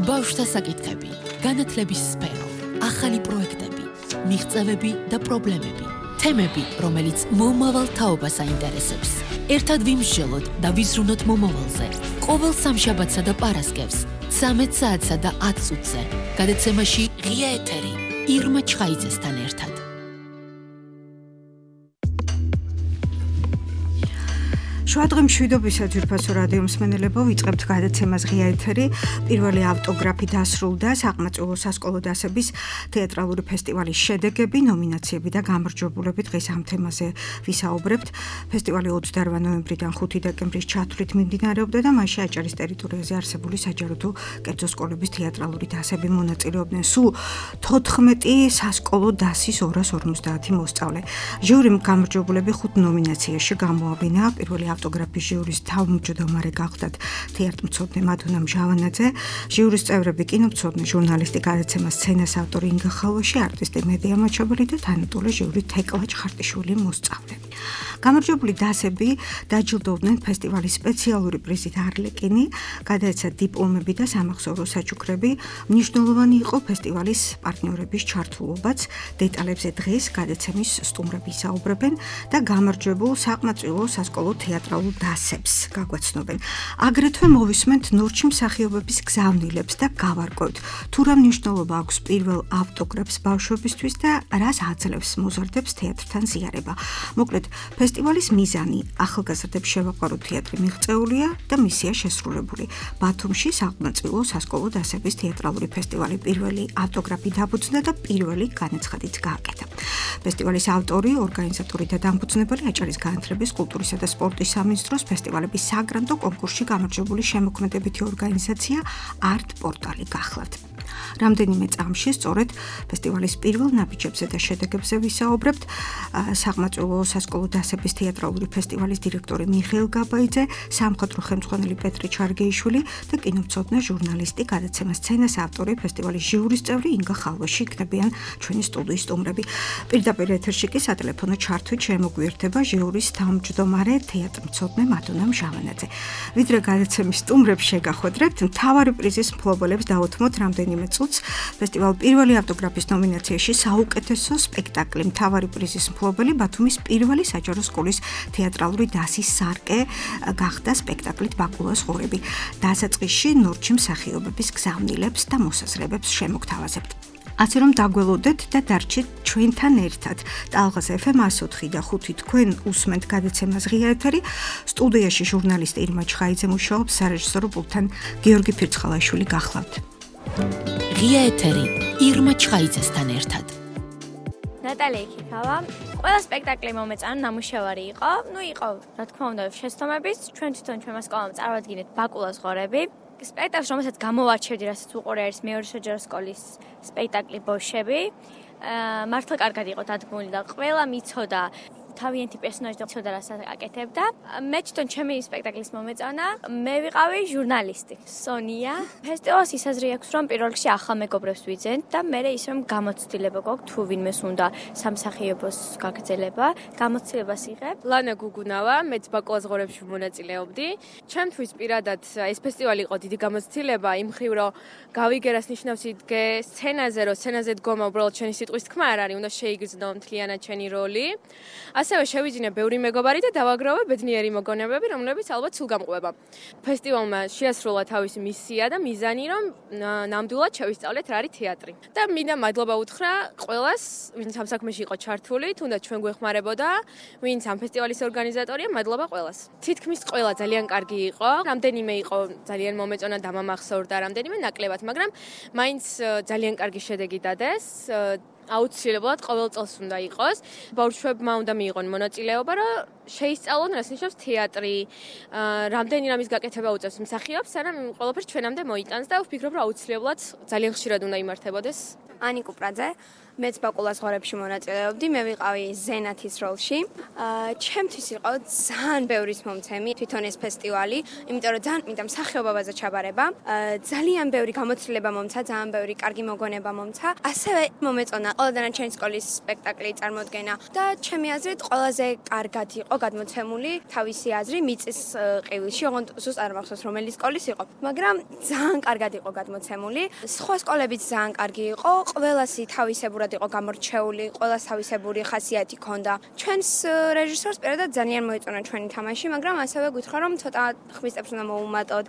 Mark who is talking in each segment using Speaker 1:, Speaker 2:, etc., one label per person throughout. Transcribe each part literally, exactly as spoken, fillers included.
Speaker 1: ბავშვთა საკითხები, განათლების სფერო, ახალი პროექტები, მიღწევები და პრობლემები, თემები, რომელიც მომავალ თაობას აინტერესებს. ერთად ვიმსჯელოთ და ვიზრუნოთ მომავალზე. ყოველ სამშაბათსა და პარასკევს, ცამეტ საათსა და ათ წუთზე, გადაცემაში ღია ეთერი, ირმა ჩხაიძესთან ერთად.
Speaker 2: შუადღე მშვიდობისა ძვირფასო რადიო მსმენელებო, ვიწყებთ გადაცემას ღია ეთერი. პირველი ავტოგრაფი დასრულდა საყმაწვილო სასკოლო დასების თეატრალური ფესტივალის შედეგები, ნომინაციები და გამარჯვებულები. დღეს ამ თემაზე ვისაუბრებთ. ფესტივალი ოცდაოთხ ნოემბრიდან ხუთი დეკემბრის ჩათვლით მიმდინარეობდა და მასში აჭარის ტერიტორიაზე არსებული საჯარო თუ კერძო სკოლების თეატრალური დასები მონაწილეობდნენ. სულ თოთხმეტი სასკოლო დასის ორას ორმოცდაათი მოსწავლე. ჟიურიმ გამარჯვებულები ხუთ ნომინაციაში გამოავლინა. პირველი ავტოგრაფის ჟიურის თავმჯდომარე გახლდათ თეატრმცოდნე მადუნა მჟავანაძე, ჟიურის წევრები კინომცოდნე, ჟურნალისტი, გადაცემას სცენას ავტორი ინგა ხალვაში, არტისტი, მედია მაჩაბელი და თანატოლე ჟიური თეკლა ჩხარტიშვილი მოსწავლე. გამარჯვებული დასები დაჯილდოვდნენ ფესტივალის სპეციალური პრიზით არლეკინი, გადაეცა დიპლომები და სამახსოვრო საჩუქრები. მნიშვნელოვანი იყო ფესტივალის პარტნიორების ჩართულობაც. დეტალებზე დღეს გადაცემის სტუმრები ისაუბრებენ და გამარჯვებულ საყმაწვილო სასკოლო თეატრალურ დასებს გაგვაცნობენ. აგრეთვე მოვისმენთ ნორჩი მსახიობების გზავნილებს და გავარკვევთ, თუ რა მნიშვნელობა აქვს პირველ ავტოგრაფს ბავშვებისთვის და რას აძლევს მოზარდებს თეატრთან ზიარება. მოკლედ, ფესტივალის მიზანი ახალგაზრდებს შევაყვაროთ თეატრი მიღწეულია და მისია შესრულებული. ბათუმში საყმაწვილო სასკოლო დასების თეატრალური ფესტივალი პირველი ავტოგრაფი დაფუძნდა და პირველი განაცხადიც გააკეთა. ფესტივალის ავტორი, ორგანიზატორი და დამფუძნებელი აჭარის განათლების, კულტურისა და სპორტის სამინისტროს ფესტივალების საგრანტო კონკურსში გამარჯვებული შემოქმედებითი ორგანიზაცია არტ პორტალი გახლავთ. რამდენიმე წამში სწორედ ფესტივალის პირველ ნაბიჯებზე და შედეგებზე ვისაუბრებთ. საყმაწვილო სასკოლო დასების თეატრალური ფესტივალის დირექტორი მიხეილ გაბაიძე, სამხატვრო ხელმძღვანელი პეტრი ჩარგეიშვილი და კინომცოდნე, ჟურნალისტი, გადაცემას სცენას ავტორი, ფესტივალის ჟიურის წევრი ინგა ხალვაში იქნებიან ჩვენი სტუდიის სტუმრები. პირდაპირ ეთერში კი სატელეფონო ჩართვით შემოგვიერთება ჟიურის თავმჯდომარე თეატრმცოდნე მადუნა მჟავანაძე. ვიდრე გადაცემის სტუმრებს შეგახვედრებთ, მთავარი პრიზის მფლობელებს დაუთმოთ რამდენიმე წუთს. ფესტივალ პირველი ავტოგრაფის ნომინაციაში საუკეთესო სპექტაკლი, მთავარი პრიზის მფლობელი ბათუმის პირველი საჯარო სკოლის თეატრალური დასის სარკე გახდა სპექტაკლით ბაკულას ღორები. დასაწყისში ნორჩი მსახიობების გზავნილებს და მოსაზრებებს შემოგთავაზებთ. ასე რომ დაგველოდეთ და დარჩით ჩვენთან ერთად. ტალღას ეფ ემ εκατო ოთხი და ხუთი თქვენ უსმენთ გადაცემას ღია ეთერი. სტუდიაში ჟურნალისტი ირმა ჩხაიძე მუშაობს, სარეჟისორო პულტთან გიორგი ფირცხალაშვილი გახლავთ.
Speaker 1: ღია ეთერი, ირმა ჩხაიძესთან ერთად.
Speaker 3: ნატალია იქიქავა. ყველა სპექტაკლი მომეწონა, ნამუშევარი იყო. ნუ იყო, რა თქმა უნდა, შეცდომების. ჩვენ თვითონ ჩვენმა სკოლამ წარვადგინეთ ბაკულას ღორები. სპექტაკლს, რომელსაც გამოვარჩევდი, რასაც უყურე არის მეორე საჯარო სკოლის სპექტაკლი ბოშები. მართლა კარგად იყო დადგმული და ყველა მიცოდა თავიანთი პერსონაჟი და ცოდა რასაც აკეთებდა. მე თვითონ ჩემი სპექტაკლის მომეწონა. მე ვიყავი ჟურნალისტი, სონია. ფესტივალს ის აზრი აქვს, რომ პირველ რიგში ახალ მეგობრებს ვიძენთ და მე ის რომ გამოცდილება გვაქვს, თუ ვინმეს უნდა სამსახიობოს გაგრძელება, გამოცდილებას იღებ.
Speaker 4: ლანა გუგუნავა, მეც ბაკულას ღორებში მონაწილეობდი. ჩემთვის პირადად ეს ფესტივალი იყო დიდი გამოცდილება, იმ მხრივ რომ გავიგერას ნიშნავს იდგე სცენაზე, რომ სცენაზე დგომა უბრალოდ ჩვენი სიტყვის თქმა არ არის, უნდა შეიგრძნო მთლიანად ჩვენი როლი. ასევე შევიძინე ბევრი მეგობარი და დავაგროვე ბედნიერი მოგონებები, რომლებიც ალბათ სულ გამყვება. ფესტივალმა შეასრულა თავისი მისია და მიზანი, რომ ნამდვილად შევისწავლეთ რა არის თეატრი. და მინდა მადლობა უთხრა ყველას, ვინც ამ საქმეში იყო ჩართული, თუნდაც ჩვენ გვეხმარებოდა, ვინც ამ ფესტივალის ორგანიზატორია, მადლობა ყველას. თითქმის ყველა ძალიან კარგი იყო, რამდენიმე იყო ძალიან მომეწონა და მომახსოვრდა, რამდენიმე ნაკლებად, მაგრამ მაინც ძალიან კარგი შედეგი დადეს. აუცილებლად ყოველ წელს უნდა იყოს. ბავშვებმა უნდა მიიღონ მონაწილეობა, რომ შეისწავლონ, რას ნიშნავს თეატრი, რამდენი რამის გაკეთება უწევს მსახიობს, სანამ ყველაფერს ჩვენამდე მოიტანს და ვფიქრობ, რომ აუცილებლად ძალიან ხშირად უნდა იმართებოდეს.
Speaker 5: ანი კუპრაძე, მეც ბაკულას ღორებში მონაწილეობდი, მე ვიყავი ზენათის როლში. ჩემთვის იყო ძალიან ბევრი მომცემი თვითონ ეს ფესტივალი, იმიტომ რომ ძალიან მინდა მსახიობობაზე ჩაბარება. ძალიან ბევრი გამოცდილება მომცა, ძალიან ბევრი კარგი მოგონება მომცა. ასევე მომეწონა ყველა დანარჩენი სკოლის სპექტაკლი წარმოდგენა და ჩემი აზრით ყველაზე კარგად იყო გადმოცემული თავისი აზრი მიწის ყივილში, ოღონდ ზუსტად არ მახსოვს რომელი სკოლის იყო, მაგრამ ძალიან კარგად იყო გადმოცემული. სხვა სკოლებიც ძალიან კარგი იყო, ყველასი თავისებურად იყო გამორჩეული, ყველას თავისებური ხასიათი ჰქონდა. ჩვენს რეჟისორს პირადად ძალიან მოეწონა ჩვენი თამაში, მაგრამ ასევე გითხრა რომ ცოტა ხმის წებს უნდა მოუმატოთ.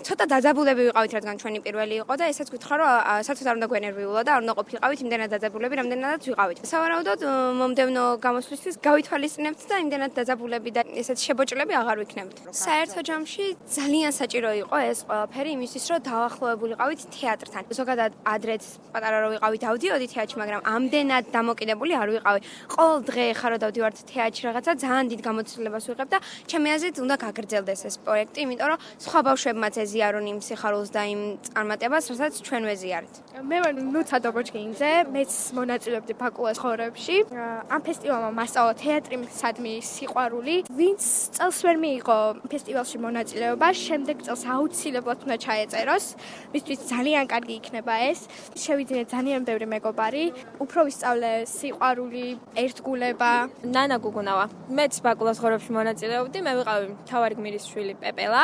Speaker 5: ცოტა დაძაბულები ვიყავით, რადგან ჩვენი პირველი იყო და ესაც გითხრა რომ საერთოდ არ უნდა გვენერვიულა და არ უნდა ყოფილიყავით იმდენად დაძაბულები, რამდენადაც ვიყავით. სავარაუდოდ მომდევნო გამოსვლისთვის გავითვალისწინებთ და იმდენად დაძაბულები და ესეთ შებოჭლები აღარ ვიქნებთ. საერთო ჯამში ძალიან საჭირო იყო ეს ყველაფერი იმისთვის, რომ დავახლოვებულიყავით თეატრთან. ზოგადად ადრეც პატარა რო ვიყავით დავდიოდი თეატრში, მაგრამ ამდენად დამოკიდებული არ ვიყავი. ყოველ დღე ხარ რო დავდივართ თეატრში რაღაცა ძალიან დიდ გამოცდილებას ვიღებ და ჩემი აზრით უნდა გაგრძელდეს ეს პროექტი, იმიტომ რომ სხვა ბავშვებმაც ეზიარონ იმ სიხარულს და იმ წარმატებას, რასაც ჩვენ ვეზიარეთ.
Speaker 6: მე ვარ ნუცა დობოჭკინძე, მეც მონაწილეობდი ბაკულას ხორებში. ამ ფესტივალმა მასწავლა თეატრისადმი სიყვარული. ვინც წელს ვერ მიიღო ფესტივალში მონაწილეობა, შემდეგ წელს აუცილებლად უნდა ჩაეწეროს. მისთვის ძალიან კარგი იქნება ეს. შევიძინეთ ძალიან ბევრი მეგობარი, უფრო ვისწავლე სიყვარული, ერთგულება.
Speaker 4: ნანა გუგუნავა. მეც ბაკულას ხორებში მონაწილეობდი, მე ვიყავი მთავარი გმირის შვილი პეპელა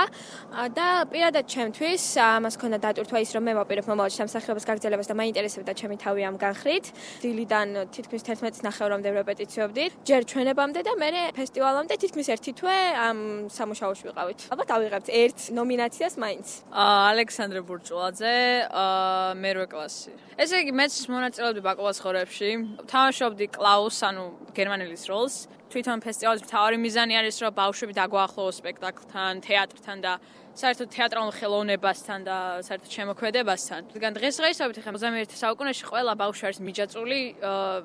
Speaker 4: და პირადად ჩემთვის ამას ქონდა დატვირთვა ის, რომ მე მოვაპირებ მომავალში სამსახიობის გაგრძელებას და მაინტერესებდა ჩემი თავი ამ განხრით. დილიდან თითქმის თერთმეტი ნახევრამდე რეპეტიციობდი. ჯერ ჩვენებამდე და მე ფესტივალამდე თითქმის ერთი თვე ამ სამუშაოში ვიყავით. ალბათ ავიღებთ ერთ ნომინაციას მაინც.
Speaker 7: ალექსანდრე ბურჭულაძე, მერვე კლასი. ესე იგი მეც მონაწილეობდი ბაკულას ხორებში. თამაშობდი კლაუს, ანუ გერმანელის როლს. თვითონ ფესტივალის მთავარი მიზანი არის, რომ ბავშვები დაგვაახლოვოს სპექტაკლთან, თეატრთან და საერთოდ თეატრალურ ხელოვნებასთან და საერთოდ შემოქმედებასთან. რადგან დღესდღეობით ხა ოცდამეერთე საუკუნეში ყველა ბავშვი არის მიჯაჭვული,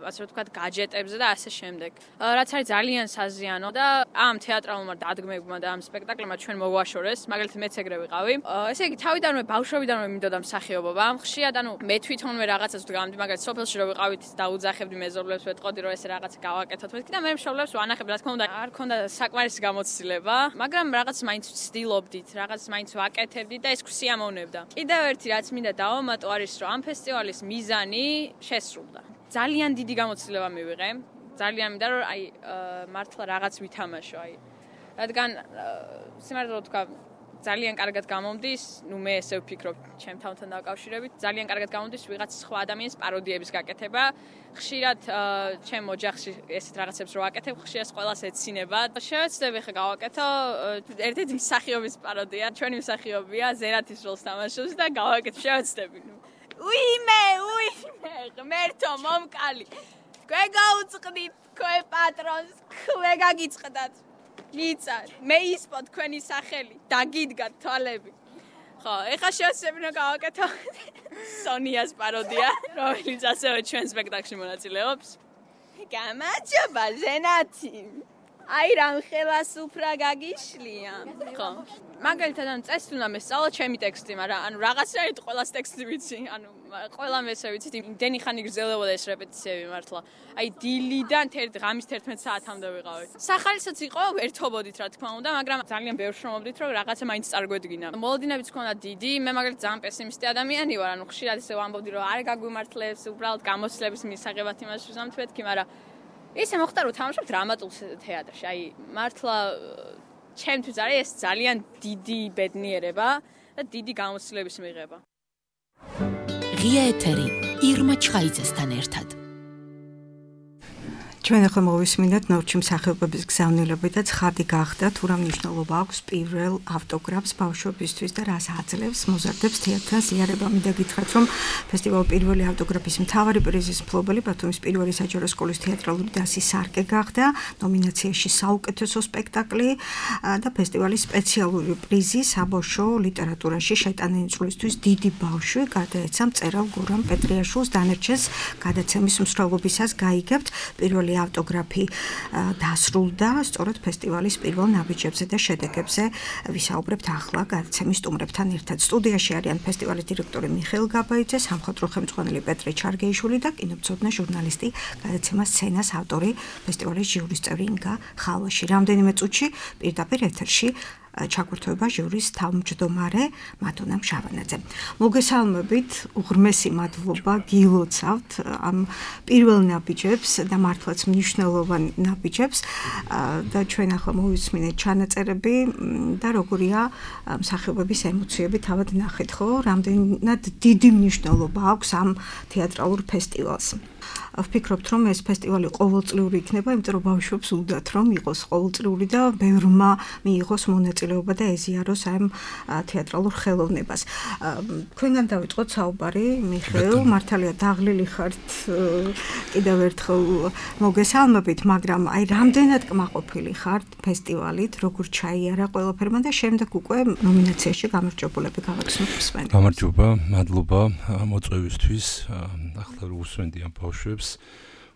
Speaker 7: ასე რომ ვთქვათ, გაჯეტებზე და ასე შემდეგ. რაც არის ძალიან საზიანო და ამ თეატრალურმა დადგმებმა და ამ სპექტაკლებმა ჩვენ მოვაშორეს, მაგალითად მეც ეგრე ვიყავი. ესე იგი, თავიდანვე ბავშვობიდანვე მინდოდა მსახიობობა. ხშირად ანუ მე თვითონვე რაღაცას ვდგამდი, მაგალითად სოფელში რო ვიყავით, დაუძახებდი მეზობლებს, ვეთყოდი რომ ესე რაღაცა გავაკეთოთ მეთქი და მე მშობლებს ვანახებდი, რა თქმა უნდა, არ ქონდა საკმარისი გამოცდილება, მაგრამ რაღაც მაინც ვცდილობდით, რაღაც მაინც ვაკეთებდი და ეს სიამოვნებდა. კიდევ ერთი რაც მინდა დავამატო არის, რომ ამ ფესტივალის მიზანი შესრულდა. ძალიან დიდი გამოცდილება მივიღე. ძალიან მინდა რომ აი მართლა რაღაც ვითამაშო, აი. რადგან სიმართლე ვთქვა, ძალიან კარგად გამომდის, ნუ მე ესე ვფიქრობ, ჩემ თავთან დაკავშირებით, ძალიან კარგად გამომდის ვიღაც სხვა ადამიანის პაროდიების გაკეთება. ხშირად ჩემ ოჯახში ესეთ რაღაცებს რო ვაკეთებ, ხშირად ყველას ეცინება. შევეცდები ხა გავაკეთო ერთ-ერთი მსახიობის პაროდია, ჩვენი მსახიობია, ზენათის როლს თამაშობს და გავაკეთე, შევეცდები. უიმე, უიმე, ღმერთო, მომკალი. ქვე გაუწყდით, ქვე პატრონს, ქვე გაგიწყდათ. ლიცა, მე ისპო თქვენი სახელი, დაგიდგათ თვალები. ხო, ეხლა შევეცდები რომ გავაკეთო სონიას პაროდია, რომელიც ასევე ჩვენ სპექტაკლში მონაწილეობს. გამარჯობა, ზენათი. აი რამ ხელას უფრა გაგიშლია. ხო. მაგალითად, ანუ წესით უნდა მესწავლო ჩემი ტექსტი, მაგრამ ანუ რაღაცნაირად ყველას ტექსტი ვიცი, ანუ ყველამ ესე ვიცით, იმდენი ხანი გრძელდებოდა ეს რეპეტიციები მართლა. აი დილიდან ღამის თერთმეტ საათამდე ვიყავით. სახალისოც იყო, ერთობოდით რა თქმა უნდა, მაგრამ ძალიან ბევრ შრომობდით, რომ რაღაცა მაინც წარგვედგინა. მოლოდინებიც ქონდა დიდი, მე მაგალითად ძალიან პესიმისტი ადამიანი ვარ, ანუ ხშირად ესე ვამბობდი, რომ არ გაგვიმართლებს, უბრალოდ გამოცდილების მისაღებად იმას ვზამთ მეთქი, მაგრამ ისე მოხდა რომ თამაშობ დრამატულ თეატრში. აი მართლა ჩემთვის არის ეს ძალიან დიდი ბედნიერება და დიდი გამოცდილების მიღება.
Speaker 1: ღია ეთერი ირმა ჩხაიძესთან ერთად.
Speaker 2: ჩვენ ახლა მოვისმინეთ ნორჩი მსახიობების გზავნილები და ცხადი გახდა თუ რა მნიშვნელობა აქვს პირველ ავტოგრაფს ბავშვებისთვის და რას აძლევს მოზარდებს თეატრთან ზიარება. მინდა გითხრათ, რომ ფესტივალ პირველი ავტოგრაფის მთავარი პრიზის მფლობელი ბათუმის პირველი საჯარო სკოლის თეატრალური დასი სარკე გახდა ნომინაციაში საუკეთესო სპექტაკლი და ფესტივალის სპეციალური პრიზი საბავშვო ლიტერატურაში შეტანილი წვლისთვის დიდი ბავშვი გადაეცა მწერალ გურამ პეტრიაშვილს. დანარჩენს გადაცემის მსვლელობისას გაიგებთ. პირველი ავტოგრაფი დასრულდა სწორედ ფესტივალის პირველ ნაბიჯებზე და შედეგებზე ვისაუბრებთ ახლა გადაცემის სტუმრებთან ერთად. სტუდიაში არიან ფესტივალის დირექტორი მიხეილ გაბაიძე, სამხატვრო ხელმძღვანელი პეტრე ჩარგეიშვილი და კინომცოდნე ჟურნალისტი, გადაცემას სცენას ავტორი, ფესტივალის ჟიურის წევრი ინგა ხალვაში. რამდენიმე წუთში პირდაპირ ეთერში ჩაგვირთვება ჟურის თავმჯდომარე მადონა მშავანაძე. მოგესალმებით, უღრმესი მადლობა გილოცავთ ამ პირველ ნაბიჯებს და მართლაც მნიშვნელოვან ნაბიჯებს და ჩვენ ახლა მოვისმინეთ ჩანაწერები და როგორია მსახიობების ემოციები თავად ნახეთ, ხო? რამდენად დიდი მნიშვნელობა აქვს ამ თეატრალურ ფესტივალს. ვფიქრობთ, რომ ეს ფესტივალი ყოველწლიური იქნება, იმიტომ რომ ბავშვებს უნდათ რომ იყოს ყოველწლიური და ბევრმა მიიღოს მონაწილეობა და ეზიაროს ამ თეატრალურ ხელოვნებას. თქვენგან დავიწყოთ საუბარი, მიხეილ, მართალია დაღლილი ხართ, კიდევ ერთხელ მოგესალმებით, მაგრამ აი რამდენად კმაყოფილი ხართ ფესტივალით, როგორ ჩაიარა ყველაფერმა და შემდეგ უკვე ნომინაციაში გამარჯვებულები გავაცნობთ მსმენელს.
Speaker 8: გამარჯობა, მადლობა მოწვევისთვის. ახლა რო უსვენდი ამ ბავშვებს,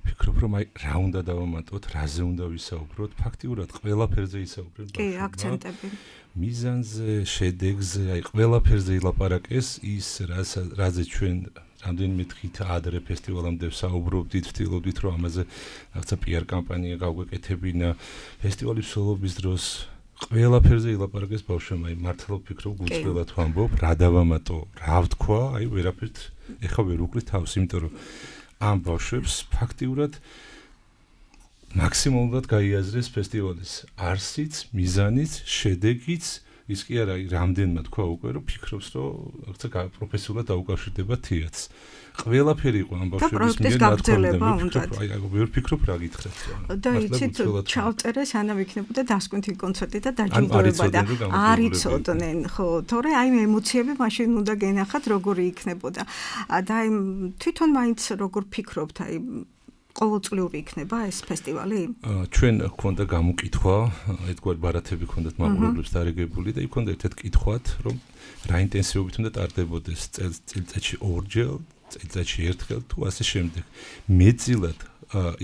Speaker 8: ვფიქრობ, რომ აი რა უნდა დავამატოთ, რაზე უნდა ვისაუბროთ, ფაქტიურად ყველაფერზე ისაუბრეთ.
Speaker 2: კი, აქცენტები.
Speaker 8: მიზანზე, შედეგზე, აი ყველაფერზე ილაპარაკეს ის, რაზე ჩვენ რამდენიმე დღით ადრე ფესტივალამდე ვსაუბრობდით, ვთილობდით, რომ ამაზე რაღაცა პიარ კამპანია გავგვეკეთებინა ფესტივალის მსვლელობის დროს. ყველაფერზე ილაპარაკეს ბავშვებმა, აი მართლა ვფიქრობ, გულწრფელად ვამბობ, რა დავამატო, რა ვთქვა, აი ვერაფერთ ეხა ვერ უკლით თავს, იმიტომ რომ ამ ბავშვებს ფაქტიურად მაქსიმალურად გაიაზრეს ფესტივალის არსიც, მიზანიც, შედეგიც, ის კი არა, რამდენმა თქვა უკვე, რომ ფიქრობს, რომ რაღაცა პროფესიულად დაუკავშირდება თეატრს. ყველაფერი იყო ამ ბავშვების მიერ
Speaker 2: გაგრძელება უნდა.
Speaker 8: აი, ვერ ვფიქრობ რა გითხრათ.
Speaker 2: და იცით, ჩავწერე სანამ იქნებოდა დასკვნითი კონცერტი და დაჯილდოება და არ იცოდნენ, ხო, თორე აი ემოციები მაშინ უნდა გენახათ როგორი იქნებოდა. და აი თვითონ მაინც როგორ ფიქრობთ, აი ყოველწლიური იქნება ეს ფესტივალი?
Speaker 8: ჩვენ გვქონდა გამოკითხვა, ერთგვარი ბარათები ქონდათ მაყურებლებს დარიგებული და იქ ქონდა ერთ-ერთ კითხვათ, რომ რა ინტენსივობით უნდა ტარდებოდეს წელიწადში ორჯერ, წელიწადში ერთხელ თუ ასე შემდეგ. მეტწილად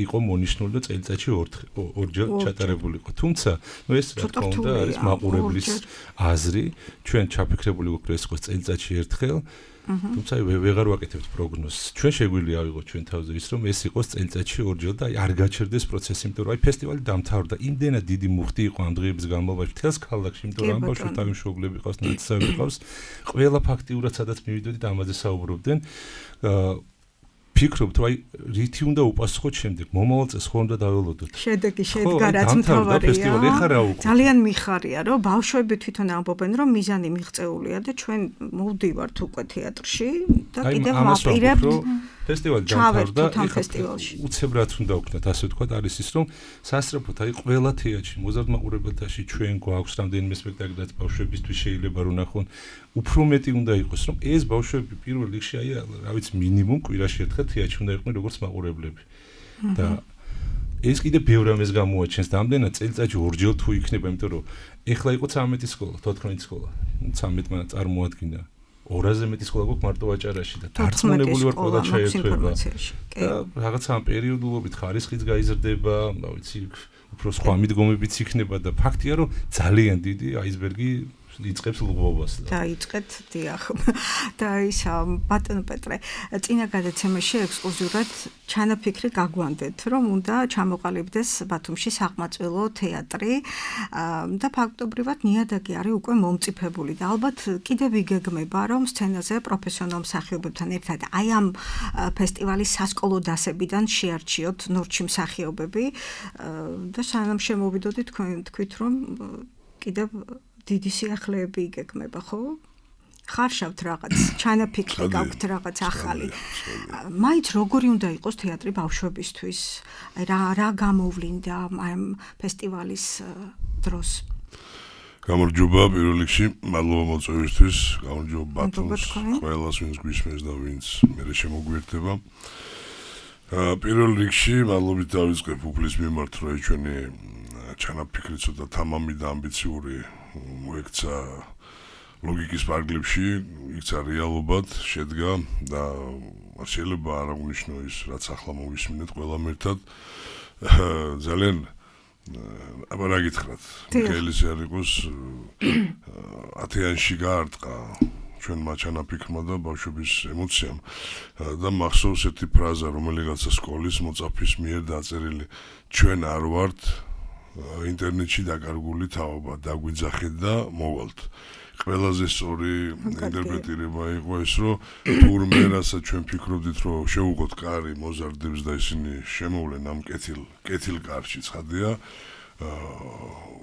Speaker 8: იყო მონიშნული და წელიწადში ორჯერ ჩატარებული იყო. თუმცა, ნუ ეს რა თქმა უნდა არის მაყურებლის აზრი, ჩვენ ჩაფიქრებული გვაქვს ეს იყოს წელიწადში ერთხელ. თუმცა ვეღარ ვაკეთებთ პროგნოზს. ჩვენ შეგვიძლია ავიღოთ ჩვენ თავზე ის, რომ ეს იყოს წელიწადში ორჯერ და არ გაჩერდეს პროცესი, იმიტომ რომ აი ფესტივალი დამთავრდა. იმდენად დიდი მუხტი იყო ამ დღეების განმავლობაში მთელს ქალაქში, იმიტომ რომ ამ ბავშვთა მშობლები ყავს, ნაცისები ყავს. ყველა ფაქტიურად სადაც მივიდოდით ამაზე საუბრობდნენ. ფიქრობთ, რომ აი რითი უნდა უპასუხოთ შემდეგ, მომავალ წელს ხო უნდა დაველოდოთ.
Speaker 2: შედეგი შედგა, რაც მთავარია. ძალიან მიხარია, რომ ბავშვები თვითონ ამბობენ, რომ მიზანი მიღწეულია და ჩვენ მოვდივართ უკვე თეატრში და კიდევ ვაპირებთ
Speaker 8: ფესტივალი დამთავრდა, უცებრად უნდა ვქნათ, ასე ვთქვათ, არის ის, რომ სასწრაფოდ აი ყველა თეატრში, მოზარდ მაყურებელთაში ჩვენ გვაქვს რამდენიმე სპექტაკლი, რაც ბავშვებისთვის შეიძლება რომ ნახონ. უფრო მეტი უნდა იყოს, რომ ეს ბავშვები პირველ რიგში აი რა ვიცი მინიმუმ კვირაში ერთხელ თეატრში უნდა იყვნენ როგორც მაყურებლები. და ეს კიდე ბევრ ამას გამოაჩენს და ამდენად წელიწადში ორჯერ თუ იქნება, იმიტომ რომ ეხლა იყო ცამეტი სკოლა, თოთხმეტი სკოლა. ცამეტმა წარმოადგინა ორაზე მეტი სკოლა გვაქვს მარტო აჭარაში და დარწმუნებული ვარ ყველა ჩაერთვება. და რაღაცა ამ პერიოდულობით ხარისხიც გაიზრდება, რა ვიცი, უფრო სხვა მიდგომებიც იქნება და ფაქტია რომ ძალიან დიდი აისბერგი იწყებს ლღვობას.
Speaker 2: დაიწყეთ, დიახ. და ის ბატონო პეტრე, წინა გადაცემაში ექსკლუზიურად ჩანაფიქრი გაგვანდეთ, რომ უნდა ჩამოყალიბდეს ბათუმში საყმაწვილო თეატრი და ფაქტობრივად ნიადაგი არის უკვე მომწიფებული და ალბათ კიდევ იგეგმება, რომ სცენაზე პროფესიონალ მსახიობებთან ერთად აი ამ ფესტივალის სასკოლო დასებიდან შეარჩიოთ ნორჩი მსახიობები და სანამ შემოვიდოდით თქვენ თქვით, რომ კიდევ დიდი სიახლეები იგეგმება, ხო? ხარშავთ რაღაც, ჩანაფიქრი გაქვთ რაღაც ახალი. მაინც როგორი უნდა იყოს თეატრი ბავშვებისთვის? აი რა რა გამოვლინდა ამ ფესტივალის დროს?
Speaker 9: გამარჯობა პირველ რიგში, მადლობა მოწვევისთვის, გამარჯობა ბათუმს, ყველას ვინც გვისმენს და ვინც მერე შემოგვიერთდება. პირველ რიგში მადლობით დავიწყებ უფლის მიმართ, რომ ჩვენი ჩანაფიქრი ცოტა თამამი და ამბიციური მოექცა ლოგიკის პარკლებში, იქცა რეალობად, შედგა და შეიძლება არ აღნიშნო ის, რაც ახლა მოვისმინეთ ყველამ ერთად. ძალიან აბა რა გითხრათ, მიხეილის ერიკოს ათიანში გაარტყა ჩვენმა ჩანაფიქრმა და ბავშვების ემოციამ და მახსოვს ერთი ფრაზა, რომელიღაცა სკოლის მოწაფის მიერ დაწერილი, ჩვენ არ ვართ ინტერნეტში დაკარგული თაობა დაგვიძახეთ და მოვალთ. ყველაზე სწორი ინტერპრეტირება იყო ეს, რომ თურმე რასაც ჩვენ ფიქრობდით, რომ შევუყოთ კარი მოზარდებს და ისინი შემოვლენ ამ კეთილ კეთილ კარში, ცხადია.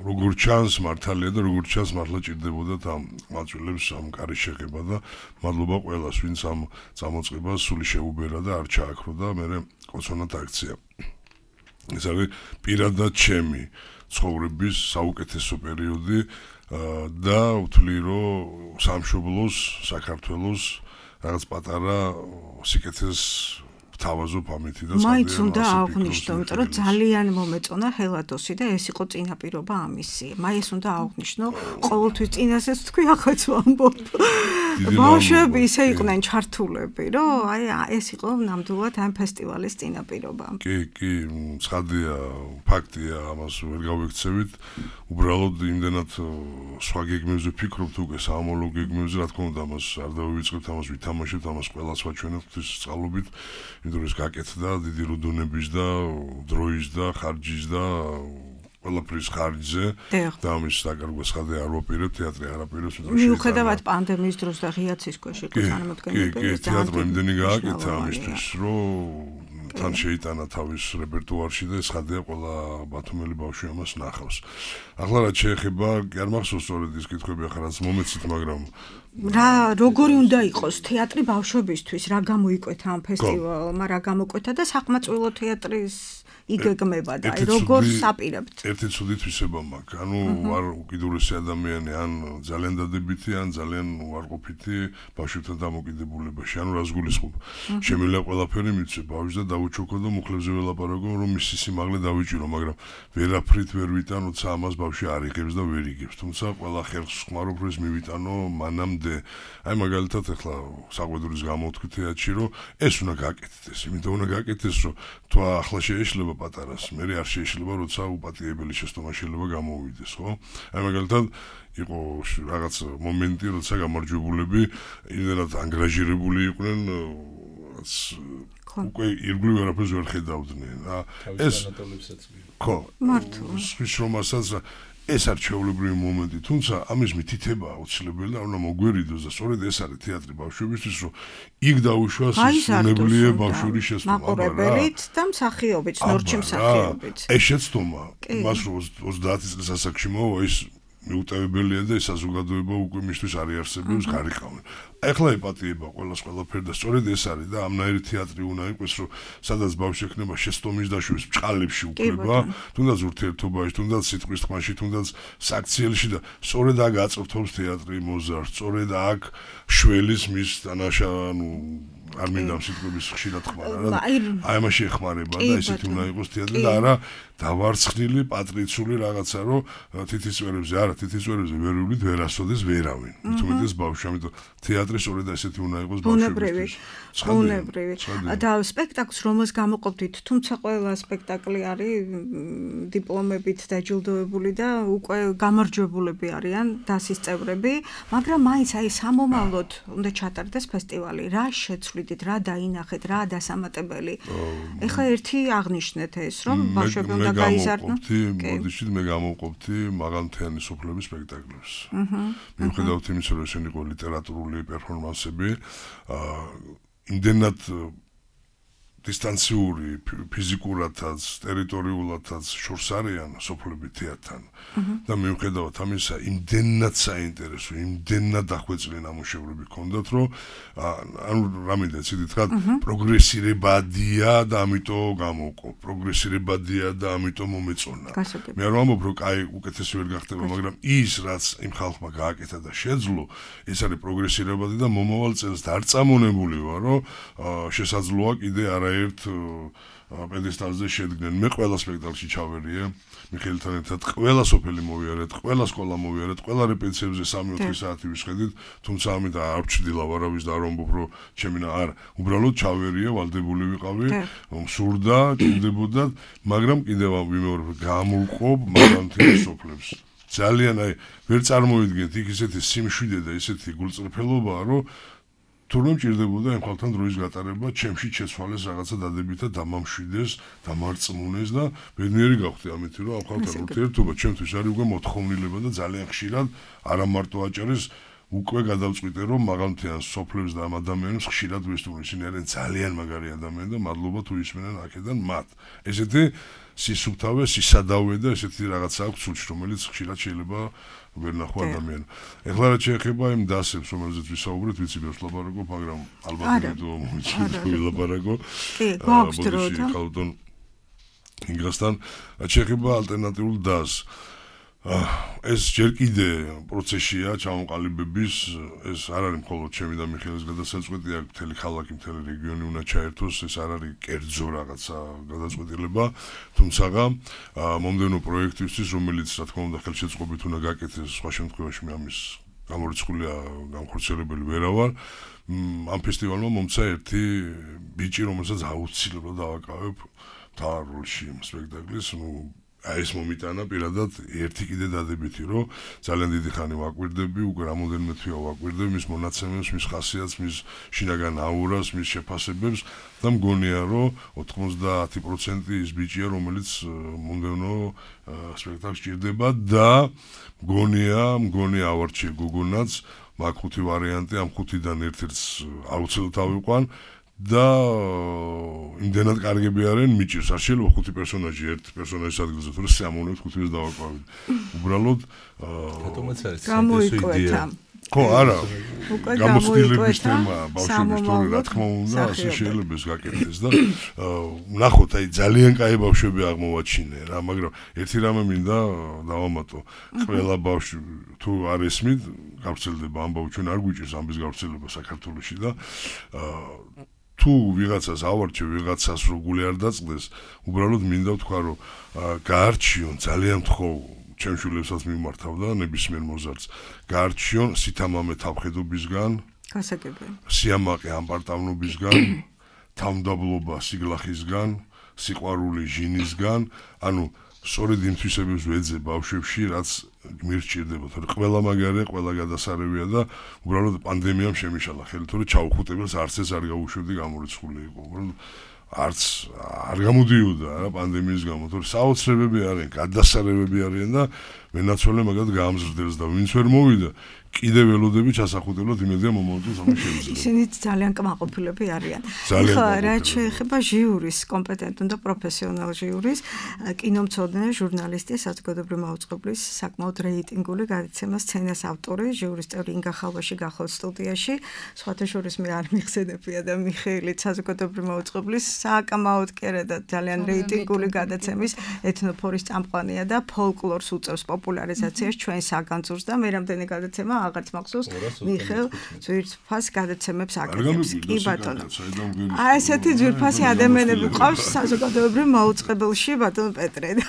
Speaker 9: როგორ ჩანს მართალია და როგორ ჩანს მართლა ჭირდებოდათ ამ მაწვილებს ამ კარის შეხება და მადლობა ყველას, ვინც ამ წამოწყებას სული შეუბერა და არ ჩააქრო და მე კოცონად აქცია. ეს არის პირადად ჩემი ცხოვრების საუკეთესო პერიოდი და ვთვლი, რომ სამშობლოს, საქართველოს რაღაც პატარა სიკეთეს თავაზობ ამითი და
Speaker 2: მაინც უნდა აღვნიშნო, იმიტომ რომ ძალიან მომეწონა ჰელადოსი და ეს იყო წინაპირობა ამისი. მაინც უნდა აღვნიშნო, ყოველთვის წინასაც თქვი, ახაც ვამბობ. ბავშვები ისე იყვნენ ჩართულები, რომ აი ეს იყო ნამდვილად ამ ფესტივალის წინაპირობა.
Speaker 9: კი, კი, ცხადია, ფაქტია, ამას ვერ გავიქცევით. უბრალოდ იმდენად სხვა გეგმებზე ვფიქრობთ უკვე საამალო გეგმებზე, რა თქმა უნდა, ამას არ დავივიწყებთ, ამას ვითამაშებთ, ამას ყველას ვაჩვენებთ ღვთის წყალობით. იმიტომ რომ გაკეთდა დიდი რუდუნების და დროის და ხარჯის და ყველაფრის ხარჯზე და ამის დაკარგვა ცხადია არ ვაპირებ, თეატრი არ აპირებს,
Speaker 2: იმიტომ რომ მიუხედავად პანდემიის დროს და ღიაცის ქვეშ იყო წარმოდგენები.
Speaker 9: კი, კი, თეატრი იმდენი გააკეთა ამისთვის, რომ თან შეიტანა თავის რეპერტუარში და ცხადია ყველა ბათუმელი ბავშვი ამას ნახავს. ახლა რაც შეეხება, კი არ მახსოვს სწორედ ის კითხვები ახლა რაც მომეცით, მაგრამ
Speaker 2: რა როგორი უნდა იყოს თეატრი ბავშვებისთვის, რა გამოიკვეთა ამ ფესტივალმა, რა გამოკვეთა და საყმაწვილო თეატრის იგეგმება და როგორ საპირებთ?
Speaker 9: ერთი ცუდი თვისება მაქვს. ანუ ვარ უკიდურესი ადამიანი, ან ძალიან დადებითი, ან ძალიან უარყოფითი ბავშვებთან დამოკიდებულებაში. ანუ რას გულისხმობ? შემიძლია ყველაფერი მიცვე ბავშვს და დავუჩოქო და მუხლებზე ველაპარაკო, რომ მისი სიმაღლე დავიჭირო, მაგრამ ვერაფრით ვერ ვიტან, როცა ამას ბავშვი არ იღებს და ვერ იგებს. თუმცა ყველა ხერხს ხმარობ, რომ ეს მივიტანო მანამდე. აი მაგალითად ახლა საყვედურის გამოვთქვი თეატრში, რომ ეს უნდა გაკეთდეს, იმიტომ უნდა გაკეთდეს, რომ თუ ახლა შეეშლება პატარას, მე არ შეეშლება, როცა უპატიებელი შეცდომა შეიძლება გამოვიდეს, ხო? აი მაგალითად იყო რაღაც მომენტი, როცა გამარჯვებულები იმდენად ანგრაჟირებული იყვნენ, რაც უკვე ირგვლივ არაფერს ვერ ხედავდნენ. ეს ხო, მართლა. ის რომასაც ეს არ ჩვეულებრივი მომენტი, თუმცა ამის მითითება აუცილებელი და უნდა მოგვერიდოს და სწორედ ეს არის თეატრი ბავშვებისთვის, რომ იქ დაუშვას უნებლიე ბავშვური შეცდომა.
Speaker 2: მაყურებელით და მსახიობით, ნორჩი მსახიობით.
Speaker 9: ეს შეცდომა, მას რომ ოცდაათი წლის ასაკში მოვა, ის მიუტევებელია და ეს საზოგადოება უკვე მისთვის არ იარსებებს, გარიყავენ. ახლა იპატიება ყველას ყველაფერი და სწორედ ეს არის და ამნაირი თეატრი უნდა იყოს, რომ სადაც ბავშვი ექნება შეცდომის დაშვების ბჭყალებში უკრება, თუნდაც ურთიერთობაში, თუნდაც სიტყვის თქმაში, თუნდაც საქციელში და სწორედ აქ აწვრთობს თეატრი მოზარდს, სწორედ აქ შველის მის დანაშა, ანუ არ მინდა სიტყვების ხშირად ხმარა რა. აი ამაში ეხმარება და ესეთი უნდა იყოს თეატრი და არა დავარცხნილი პატრიციული რაღაცა, რომ თითისწვერებზე, არა, თითისწვერებზე ვერ ვივლით, ვერ ასოდეს ვერავინ. თუმცა ბავშვი, ამიტომ თეატრი სწორედ ესეთი უნდა იყოს ბავშვებისთვის.
Speaker 2: ბუნებრივი. და სპექტაკლს რომელს გამოყოფდით, თუმცა ყველა სპექტაკლი არის დიპლომებით დაჯილდოებული და უკვე გამარჯვებულები არიან დასის წევრები, მაგრამ მაინც აი სამომავლოდ უნდა ჩატარდეს ფესტივალი. რა შეცვლიდით, რა დაინახეთ, რა დასამატებელი. ეხლა ერთი აღნიშნეთ ეს, რომ ბავშვები უნდა გაიზარდონ.
Speaker 9: მოდიშით მე გამოვყოფთი მაღალმთიანი სოფლების სპექტაკლებს. მიუხედავად იმისა, რომ ესენი იყო ლიტერატურული პერფორმანსები, იმდენად დისტანციური, ფიზიკურადაც, ტერიტორიულადაც შორს არიან სოფლები თეატრთან. და მიუხედავად ამისა, იმდენად საინტერესო, იმდენად დახვეწილი ნამუშევრები ჰქონდათ, რომ ანუ რამე ცივი თქვა, პროგრესირებადია და ამიტომ გამოვყო. პროგრესირებადია და ამიტომ მომეწონა. მე არ ვამბობ, რომ კაი, უკეთესი ვერ გახდება, მაგრამ ის, რაც იმ ხალხმა გააკეთა და შეძლო, ეს არის პროგრესირებადი და მომავალ წელს დარწამონებული ვარ, რომ შესაძლოა კიდე არა ერთ პედესტალზე შედგნენ. მე ყველა სპექტაკლში ჩავერიე, მიხეილთან ერთად ყველა სოფელი მოვიარეთ, ყველა სკოლა მოვიარეთ, ყველა რეპეტიციებზე სამი ოთხი საათი ვისხედით, თუმცა ამით არ ვჩრდილა ვარავის და არ ვამბობ, რომ ჩემი არა, უბრალოდ ჩავერიე, ვალდებული ვიყავი, მსურდა, ჭირდებოდა, მაგრამ კიდევ ვიმეორებ, გამოვყოფ მაგალითად სოფლებს. ძალიან აი ვერ წარმოვიდგენთ იქ ისეთი სიმშვიდე და ისეთი გულწრფელობაა, რომ თურმე მჭირდებოდა ამ ხალხთან დროის გატარება, ჩემში შეცვალეს რაღაცა დადებითა დამამშვიდეს, დამარწმუნეს და ბედნიერი გავხდი ამით, რომ ამ ხალხთან ურთიერთობა ჩემთვის არის უკვე მოთხოვნილება და ძალიან ხშირად არა მარტო აჭარის უკვე გადავწყვიტე რომ მაღალმთიან სოფლებს და ამ ადამიანებს ხშირად ვესტუმრ ისინი არიან ძალიან მაგარი ადამიანები და მადლობა თუ ისმენენ აქედან მათ. ესეთი სისუფთავე, სისადავე და ესეთი რაღაცა აქვს სულში, რომელიც ხშირად შეიძლება ვერ ნახო ადამიანი. ეხლა რაც შეეხება იმ დასებს, რომელზეც ვისაუბრეთ, ვიცი ბევრს ლაპარაკობ, მაგრამ ალბათ ვიდეო მომიჩნევს ვილაპარაკო.
Speaker 2: კი, გვაქვს დრო და
Speaker 9: ხალხთან ინგრასთან რაც შეეხება ალტერნატიულ დასს. ეს ჯერ კიდე პროცესია ჩამოყალიბების, ეს არ არის მხოლოდ ჩემი და მიხეილის გადასაწყვეტი, აქ მთელი ქალაქი, მთელი რეგიონი უნდა ჩაერთოს, ეს არ არის კერძო რაღაცა გადაწყვეტილება, თუმცა მომდევნო პროექტისთვის, რომელიც რა თქმა უნდა ხელშეწყობით უნდა გაკეთდეს, სხვა შემთხვევაში მე ამის გამორიცხულია განხორციელებელი ვერა ვარ. ამ ფესტივალმა მომცა ერთი ბიჭი, რომელსაც აუცილებლად დავაკავებ მთავარ როლში იმ სპექტაკლის, ну აი ეს მომიტანა პირადად ერთი კიდე დადებითი, რომ ძალიან დიდი ხანი ვაკვირდები, უკვე რამოდენიმე თვეა ვაკვირდები მის მონაცემებს, მის ხასიათს, მის შინაგან აურას, მის შეფასებებს და მგონია, რომ ოთხმოცდაათი პროცენტი ის ბიჭია, რომელიც მომდევნო სპექტაკლს ჭირდება და მგონია, მგონია ავარჩიე გოგონაც, მაგ ხუთი ვარიანტი, ამ ხუთიდან ერთ-ერთს აუცილებლად ავიყვან. და იმდენად კარგები არიან მიჭირს, არ შეიძლება ხუთი პერსონაჟი ერთ პერსონაჟის ადგილზე, თორე სამონებს ხუთივეს დავაკვავით. უბრალოდ
Speaker 8: რატომაც არის
Speaker 2: გამოიკვეთა.
Speaker 9: ხო, არა. გამოცდილების თემა ბავშვების თორე რა თქმა უნდა, ასე შეიძლება ეს გაკეთდეს და ნახოთ, აი ძალიან კაი ბავშვები აღმოვაჩინე რა, მაგრამ ერთი რამე მინდა დავამატო. ყველა ბავშვი თუ არ ესმით, გავრცელდება ამბავი, ჩვენ არ გვიჭირს ამბის გავრცელება საქართველოში და თუ ვიღაცას ავარჩევ, ვიღაცას რო გული არ დაწყდეს, უბრალოდ მინდა ვთქვა, რომ გაარჩიონ, ძალიან ვთხოვ, ჩემშვილებსაც მიმართავ და ნებისმიერ მოზარდს, გაარჩიონ სითამამე თავხედობისგან,
Speaker 2: გასაგებია.
Speaker 9: სიამაყე ამპარტავნობისგან, თავმდაბლობა სიგლახისგან, სიყვარული ჟინისგან, ანუ სწორედ იმ თვისებებს ვეძე ბავშვებში, რაც მირჩირდება, თორე ყველა მაგარია, ყველა გადასარევია და უბრალოდ პანდემიამ შემიშალა ხელი, თორე ჩაუხუტებელს არც ეს არ გაუშვებდი გამორიცხული იყო. უბრალოდ არც არ გამოდიოდა რა პანდემიის გამო, თორე საოცრებები არიან, გადასარევები არიან და მენაცვალე მაგათ გაამზრდელს და ვინც ვერ მოვიდა კიდევ ველოდები ჩასახუტებლად იმედია მომავალს ამას შეუძლია.
Speaker 2: ისინი ძალიან კმაყოფილები არიან.
Speaker 9: ძალიან
Speaker 2: ხო, რაც შეეხება ჟიურის, კომპეტენტურ და პროფესიონალ ჟიურის, კინომცოდნე, ჟურნალისტი, საზოგადოებრივი მაუწყებლის საკმაოდ რეიტინგული გადაცემა სცენას ავტორი, ჟიურის წევრი ინგა ხალბაში გახლავთ სტუდიაში. სხვათა შორის მე არ მიხსენებია და მიხეილი საზოგადოებრივი მაუწყებლის საკმაოდ კერა და ძალიან რეიტინგული გადაცემის ეთნოფორის წამყვანია და ფოლკლორს უწევს პოპულარიზაციას ჩვენ საგანძურს და მე რამდენი გადაცემა აღარც მახსოვს მიხეილ ძვირფას გადაცემებს აკეთებს. კი ბატონო. აი ესეთი ძვირფასი ადამიანები ყავს საზოგადოებრივ მაუწყებელში ბატონო პეტრე და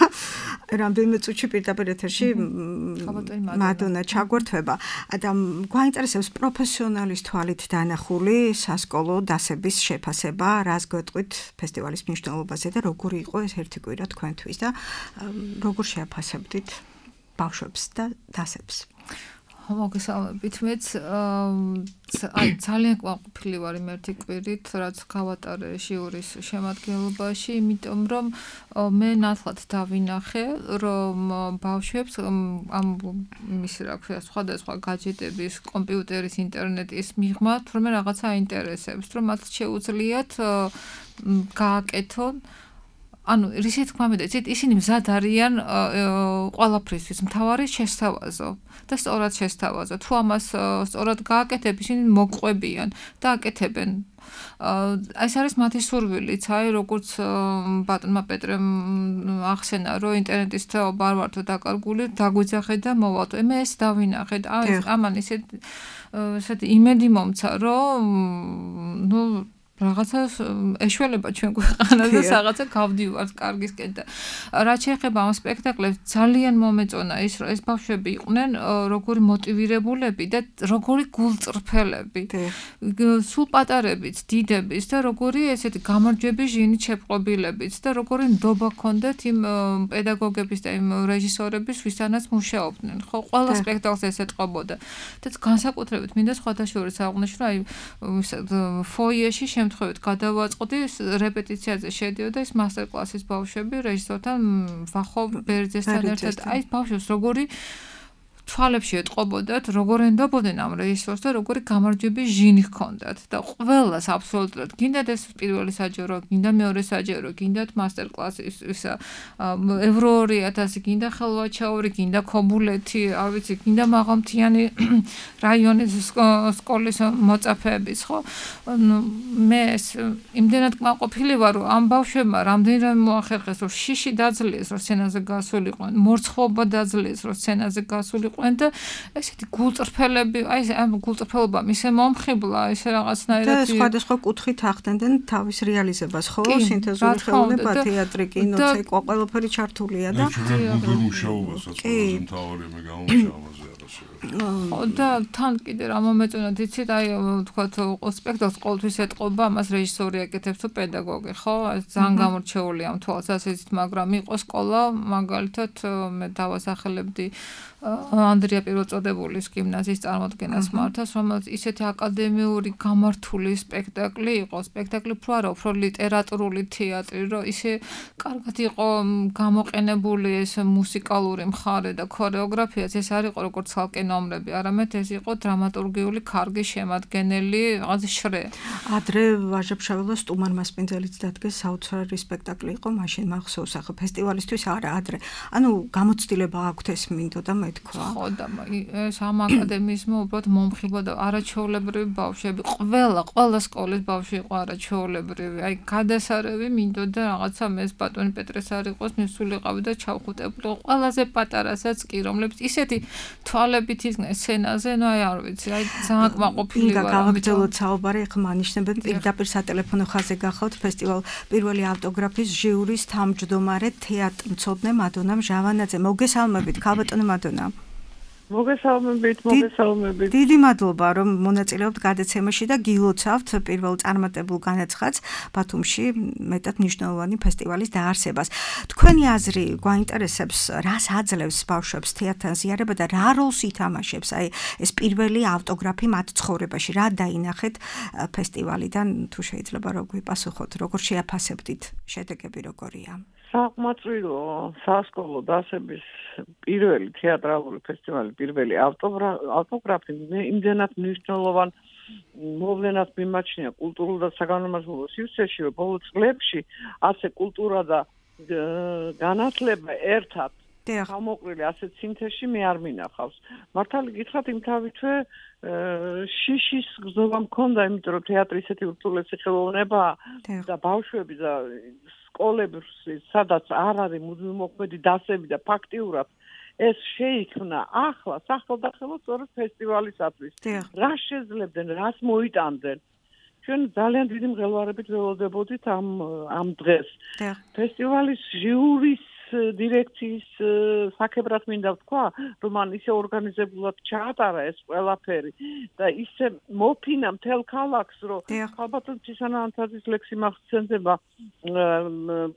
Speaker 2: რამდენიმე წუთში პირდაპირ ეთერში მადონა ჩაგვერთვება. და გვაინტერესებს პროფესიონალის თვალით დანახული სასკოლო დასების შეფასება, რას გვეტყვით ფესტივალის მნიშვნელობაზე და როგორი იყო ეს ერთი კვირა თქვენთვის და როგორ შეაფასებდით ბავშვებს და დასებს.
Speaker 10: მოგესალმებით, მეც აი ძალიან კმაყოფილი ვარ იმ ერთი კვირით, რაც გავატარე ჟიურის შემადგენლობაში, იმიტომ რომ მე ნათლად დავინახე, რომ ბავშვებს ამ ის რა ქვია, სხვადასხვა გაჯეტების, კომპიუტერის, ინტერნეტის მიღმა თურმე რაღაცა აინტერესებს, რომ მათ შეუძლიათ გააკეთონ ანუ რისეთ თქმა მიდეცით, ისინი მზად არიან ყველაფრისთვის, მთავარი შესთავაზო და სწორად შესთავაზო. თუ ამას სწორად გააკეთებ, ისინი მოყვებიან და აკეთებენ. ეს არის მათი სურვილიც, აი როგორც ბატონმა პეტრემ ახსენა, რომ ინტერნეტის თეობა არ ვართო დაკარგული, დაგვიძახე და მოვალთ. მე ეს დავინახე და ამან ისეთ ესეთი იმედი მომცა, რომ ნუ რაღაცა ეშველება ჩვენ ქვეყანას და რაღაცა გავდივართ კარგისკენ და რაც შეეხება ამ სპექტაკლებს ძალიან მომეწონა ის რომ ეს ბავშვები იყვნენ როგორი მოტივირებულები და როგორი გულწრფელები სულ პატარებიც დიდებიც და როგორი ესეთი გამარჯვების ჟინით შეპყრობილებიც და როგორი ნდობა ჰქონდათ იმ პედაგოგების და იმ რეჟისორების ვისთანაც მუშაობდნენ ხო ყველა სპექტაკლს ეს ეტყობოდა და განსაკუთრებით მინდა სხვათა შორის აღვნიშნო რომ აი ფოიეში შემთხვევით გადავაწყდი რეპეტიციაზე შედიოდა ეს მასტერ-კლასის ბავშვები რეჟისორთან ვახო ბერძესთან ერთად აი ბავშვებს როგორი თვალებში ეტყობოდათ როგორ ენდობოდნენ ამ რეჟისორს და როგორი გამარჯვების ჟინი ჰქონდათ და ყველას აბსოლუტურად გინდათ ეს პირველი საჯარო გინდა მეორე საჯარო გინდათ მასტერ-კლასის ისა ევრო ორი ათასი გინდა ხელვაჩაური გინდა ქობულეთი არ ვიცი გინდა მაღალმთიანი რაიონის სკოლის მოწაფეების ხო მე იმდენად კმაყოფილი ვარ რომ ამ ბავშვებმა რამდენიმე მოახერხეს რომ შიში დაძლიეს რომ სცენაზე გასულიყვნენ მორცხოვობა დაძლიეს რომ სცენაზე გასულიყვნენ და ესეთი გულწრფელები, აი ამ გულწრფელობამ ისე მომხიბლა, ისე რაღაცნაირად
Speaker 2: და სხვადასხვა კუთხით ახდენდნენ თავის რეალიზებას, ხო? სინთეზური ხელოვნება, თეატრი, კინო, ცეკვა, ყველაფერი ჩართულია და
Speaker 9: გუნდურ მუშაობასაც ყველაზე მთავარი მე გამომშავაზე
Speaker 10: ხო და თან კიდე რა მომეწონათ იცით აი ვთქვათ სპექტაკლს ყოველთვის ეტყობა ამას რეჟისორი აკეთებს თუ პედაგოგი ხო ძალიან გამორჩეული ამ თვალსაზრისით მაგრამ იყო სკოლა მაგალითად მე დავასახელებდი ანდრია პირველწოდებულის გიმნაზიის წარმოდგენას მართავს რომელიც ისეთი აკადემიური გამართული სპექტაკლი იყო სპექტაკლი უფრო არა უფრო ლიტერატურული თეატრი რომ ისე კარგად იყო გამოყენებული ეს მუსიკალური მხარე და ქორეოგრაფიაც ეს არ იყო როგორც ცალკე ნომრები არამედ ეს იყო დრამატურგიული კარგი შემადგენელი რაღაც შრე
Speaker 2: ადრე ვაჟა-ფშაველას სტუმარ მასპინძელიც დადგეს საოცარი სპექტაკლი იყო მაშინ მახსოვს ახლა ფესტივალისთვის არა ადრე ანუ გამოცდილება აქვთ ეს მინდოდა მე თქვა
Speaker 10: ხო და ეს ამ აკადემიზმო უბრალოდ მომხიბოდა არაჩვეულებრივი ბავშვები ყველა ყველა სკოლის ბავშვი იყო არაჩვეულებრივი აი გადასარევი მინდოდა რაღაცა მეს ბატონი პეტრეს არ იყოს მისულიყავი და ჩავხუტებული ყველაზე პატარასაც კი რომლებიც ისეთი თვალებით იდგნენ სცენაზე ნუ აი არ ვიცი აი ძალიან კმაყოფილი ვარ
Speaker 2: გავაგრძელოთ საუბარი ახლა მანიშნებენ პირდაპირ სატელეფონო ხაზზე გახავთ ფესტივალ პირველი ავტოგრაფის ჟიურის თავმჯდომარე თეატრმცოდნე მადონა მჟავანაძე მოგესალმებით ქალბატონო მადონა
Speaker 11: მოგესალმებით, მოგესალმებით.
Speaker 2: დიდი მადლობა, რომ მონაწილეობთ გადაცემაში და გილოცავთ პირველ წარმატებულ განაცხადს ბათუმში მეტად მნიშვნელოვანი ფესტივალის დაარსებას. თქვენი აზრი გვაინტერესებს, რას აძლევს ბავშვებს თეატრთან ზიარება და რა როლს ითამაშებს აი ეს პირველი ავტოგრაფი მათ ცხოვრებაში, რა დაინახეთ ფესტივალიდან, თუ შეიძლება რო გვიპასუხოთ, როგორ შეაფასებდით, შედეგები როგორია?
Speaker 11: საკმაწყვილო სასკოლო დასების პირველი თეატრალური ფესტივალი პირველი ავტოგრაფი იმდენად მნიშვნელოვან მოვლენად მიმაჩნია კულტურულ და საგანმანათლებლო სივრცეში რომ ბოლო წლებში ასე კულტურა და განათლება ერთად გამოყრილი ასეთ სინთეზში მე არ მინახავს მართალი გითხრათ იმთავითვე შიშის გზობა მქონდა იმიტომ რომ თეატრი ისეთი ურთულესი ხელოვნებაა და ბავშვები და სკოლები სადაც არ არის მუდმივმოქმედი დასები და ფაქტიურად ეს შეიქმნა ახლა სახელდახელო სწორედ ფესტივალისათვის რა შეძლებდნენ რას მოიტანდნენ ჩვენ ძალიან დიდი მღელვარებით ველოდებოდით ამ ამ დღეს ფესტივალის ჟიურის დირექციის საკებრად მინდა ვთქვა, რომ მან ისე ორგანიზებულად ჩაატარა ეს ყველაფერი და ისე მოფინა მთელ ქალაქს, რომ ალბათ ცისანაანთაძის ლექსი მახსენდება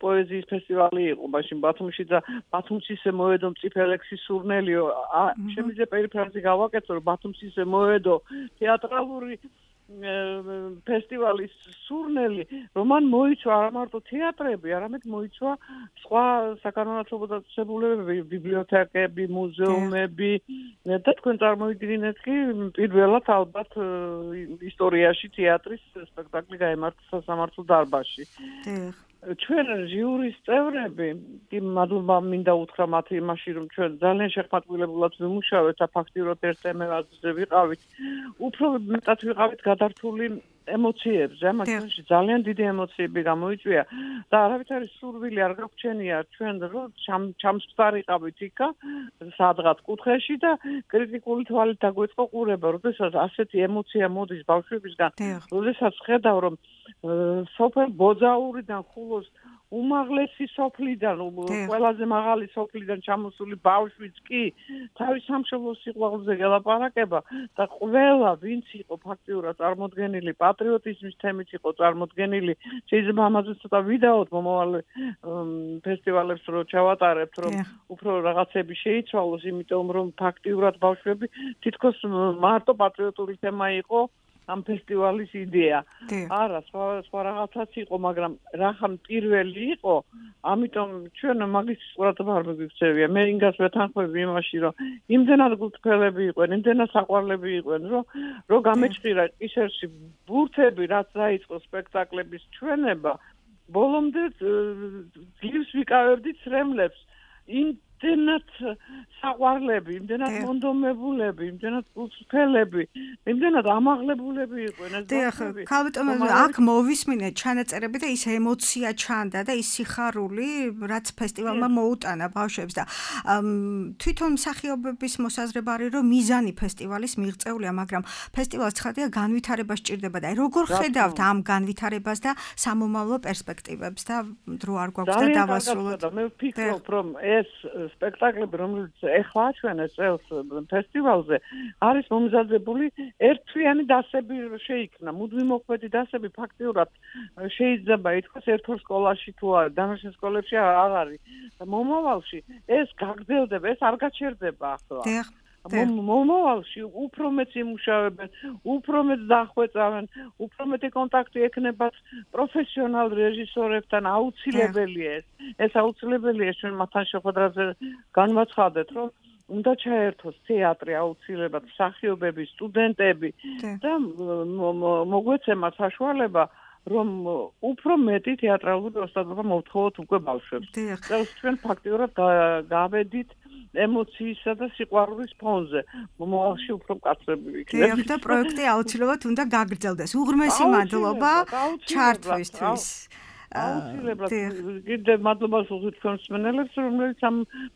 Speaker 11: პოეზიის ფესტივალი იყო მაშინ ბათუმში და ბათუმს ისე მოედო მწიფელექსის სურნელიო, შემიძლია პერიფრაზი გავაკეთო, რომ ბათუმს ისე მოედო თეატრალური ფესტივალის სურნელი რომან მოიცვა არა მარტო თეატრები, არამედ მოიცვა სხვა საკანონმდებლო დაწესებულებები, ბიბლიოთეკები, მუზეუმები და თქვენ წარმოვიდგინეთ კი პირველად ალბათ ისტორიაში თეატრის სპექტაკლი გაემართა სასამართლო დარბაზში. ჩვენ ჟიურის წევრები, კი მადლობა მინდა უთხრა მათ იმაში, რომ ჩვენ ძალიან შეხმატებულად ვიმუშავეთ და ფაქტიურად ერთ თემაზე ვიყავით. უფრო მეტად ვიყავით გადართული ემოციებზე, ამ ჩვენში ძალიან დიდი ემოციები გამოიწვია და არავითარი სურვილი არ გაგვჩენია ჩვენ რომ ჩამსხდარიყავით იქა სადღაც კუთხეში და კრიტიკული თვალით დაგვეწყო ყურება, როდესაც ასეთი ემოცია მოდის ბავშვებისგან, როდესაც ხედავ რომ სოფელ ბოძაურიდან ხულოს უმაღლესი სოფლიდან, ყველაზე მაღალი სოფლიდან ჩამოსული ბავშვიც კი თავის სამშობლოს სიყვარულზე გელაპარაკება და ყველა ვინც იყო ფაქტიურად წარმოდგენილი პატრიოტიზმის თემით იყო წარმოდგენილი, შეიძლება ამაზე ცოტა ვიდაოთ მომავალ ფესტივალებს რო ჩავატარებთ, რომ უფრო რაღაცები შეიცვალოს, იმიტომ რომ ფაქტიურად ბავშვები თითქოს მარტო პატრიოტული თემა იყო ამ ფესტივალის იდეა. არა, სხვა სხვა რაღაცაც იყო, მაგრამ რახან პირველი იყო, ამიტომ ჩვენ მაგის ყურადღება არ მიგიქცევია. მე ინგას ვეთანხმები იმაში, რომ იმდენად გულთქველები იყვნენ, იმდენად საყვარლები იყვნენ, რომ რო გამეჭირა ისერში ბურთები, რაც დაიწყო სპექტაკლების ჩვენება, ბოლომდე ძლივს ვიკავებდით სრემლებს. იმდენად საყვარლები, იმდენად მონდომებულები, იმდენად გულწრფელები, იმდენად ამაღლებულები იყვნენ ეს ბავშვები.
Speaker 2: ხალბატონო, აქ მოვისმინეთ ჩანაწერები და ის ემოცია ჩანდა და ის სიხარული, რაც ფესტივალმა მოუტანა ბავშვებს და თვითონ მსახიობების მოსაზრება არის, რომ მიზანი ფესტივალის მიღწეულია, მაგრამ ფესტივალს ცხადია განვითარება სჭირდება და როგორ ხედავთ ამ განვითარებას და სამომავლო პერსპექტივებს და დრო არ გვაქვს და დავასრულოთ.
Speaker 11: მე ვფიქრობ, რომ ეს სპექტაკლები, რომელიც ეხლა აჩვენეს წელს ფესტივალზე, არის მომზადებული ერთთვიანი დასები შეიქმნა. მუდმივ მოქმედი დასები ფაქტიურად შეიძლება ითქვას ერთ ორ სკოლაში თუ არა, დანარჩენ სკოლებში არ არის. მომავალში ეს გაგრძელდება, ეს არ გაჩერდება ახლა. მომავალში უფრო მეც იმუშავებენ, უფრო მეც დახვეწავენ, უფრო მეტი კონტაქტი ექნებათ პროფესიონალ რეჟისორებთან, აუცილებელია ეს. ეს აუცილებელია ჩვენ მათთან შეხვედრაზე განვაცხადეთ, რომ უნდა ჩაერთოს თეატრი აუცილებლად, მსახიობები, სტუდენტები და მოგვეცემა საშუალება რომ უფრო მეტი თეატრალური ოსტატობა მოვთხოვოთ უკვე ბავშვებს. წელს ჩვენ ფაქტიურად გავედით ემოციისა და სიყვარულის ფონზე. მომავალში უფრო მკაცრები ვიქნებით.
Speaker 2: და პროექტი აუცილებლად უნდა გაგრძელდეს. უღრმესი მადლობა ჩართვისთვის.
Speaker 11: აუცილებლად კიდე მადლობას ვუხდით თქვენს მსმენელებს, რომლებიც ამ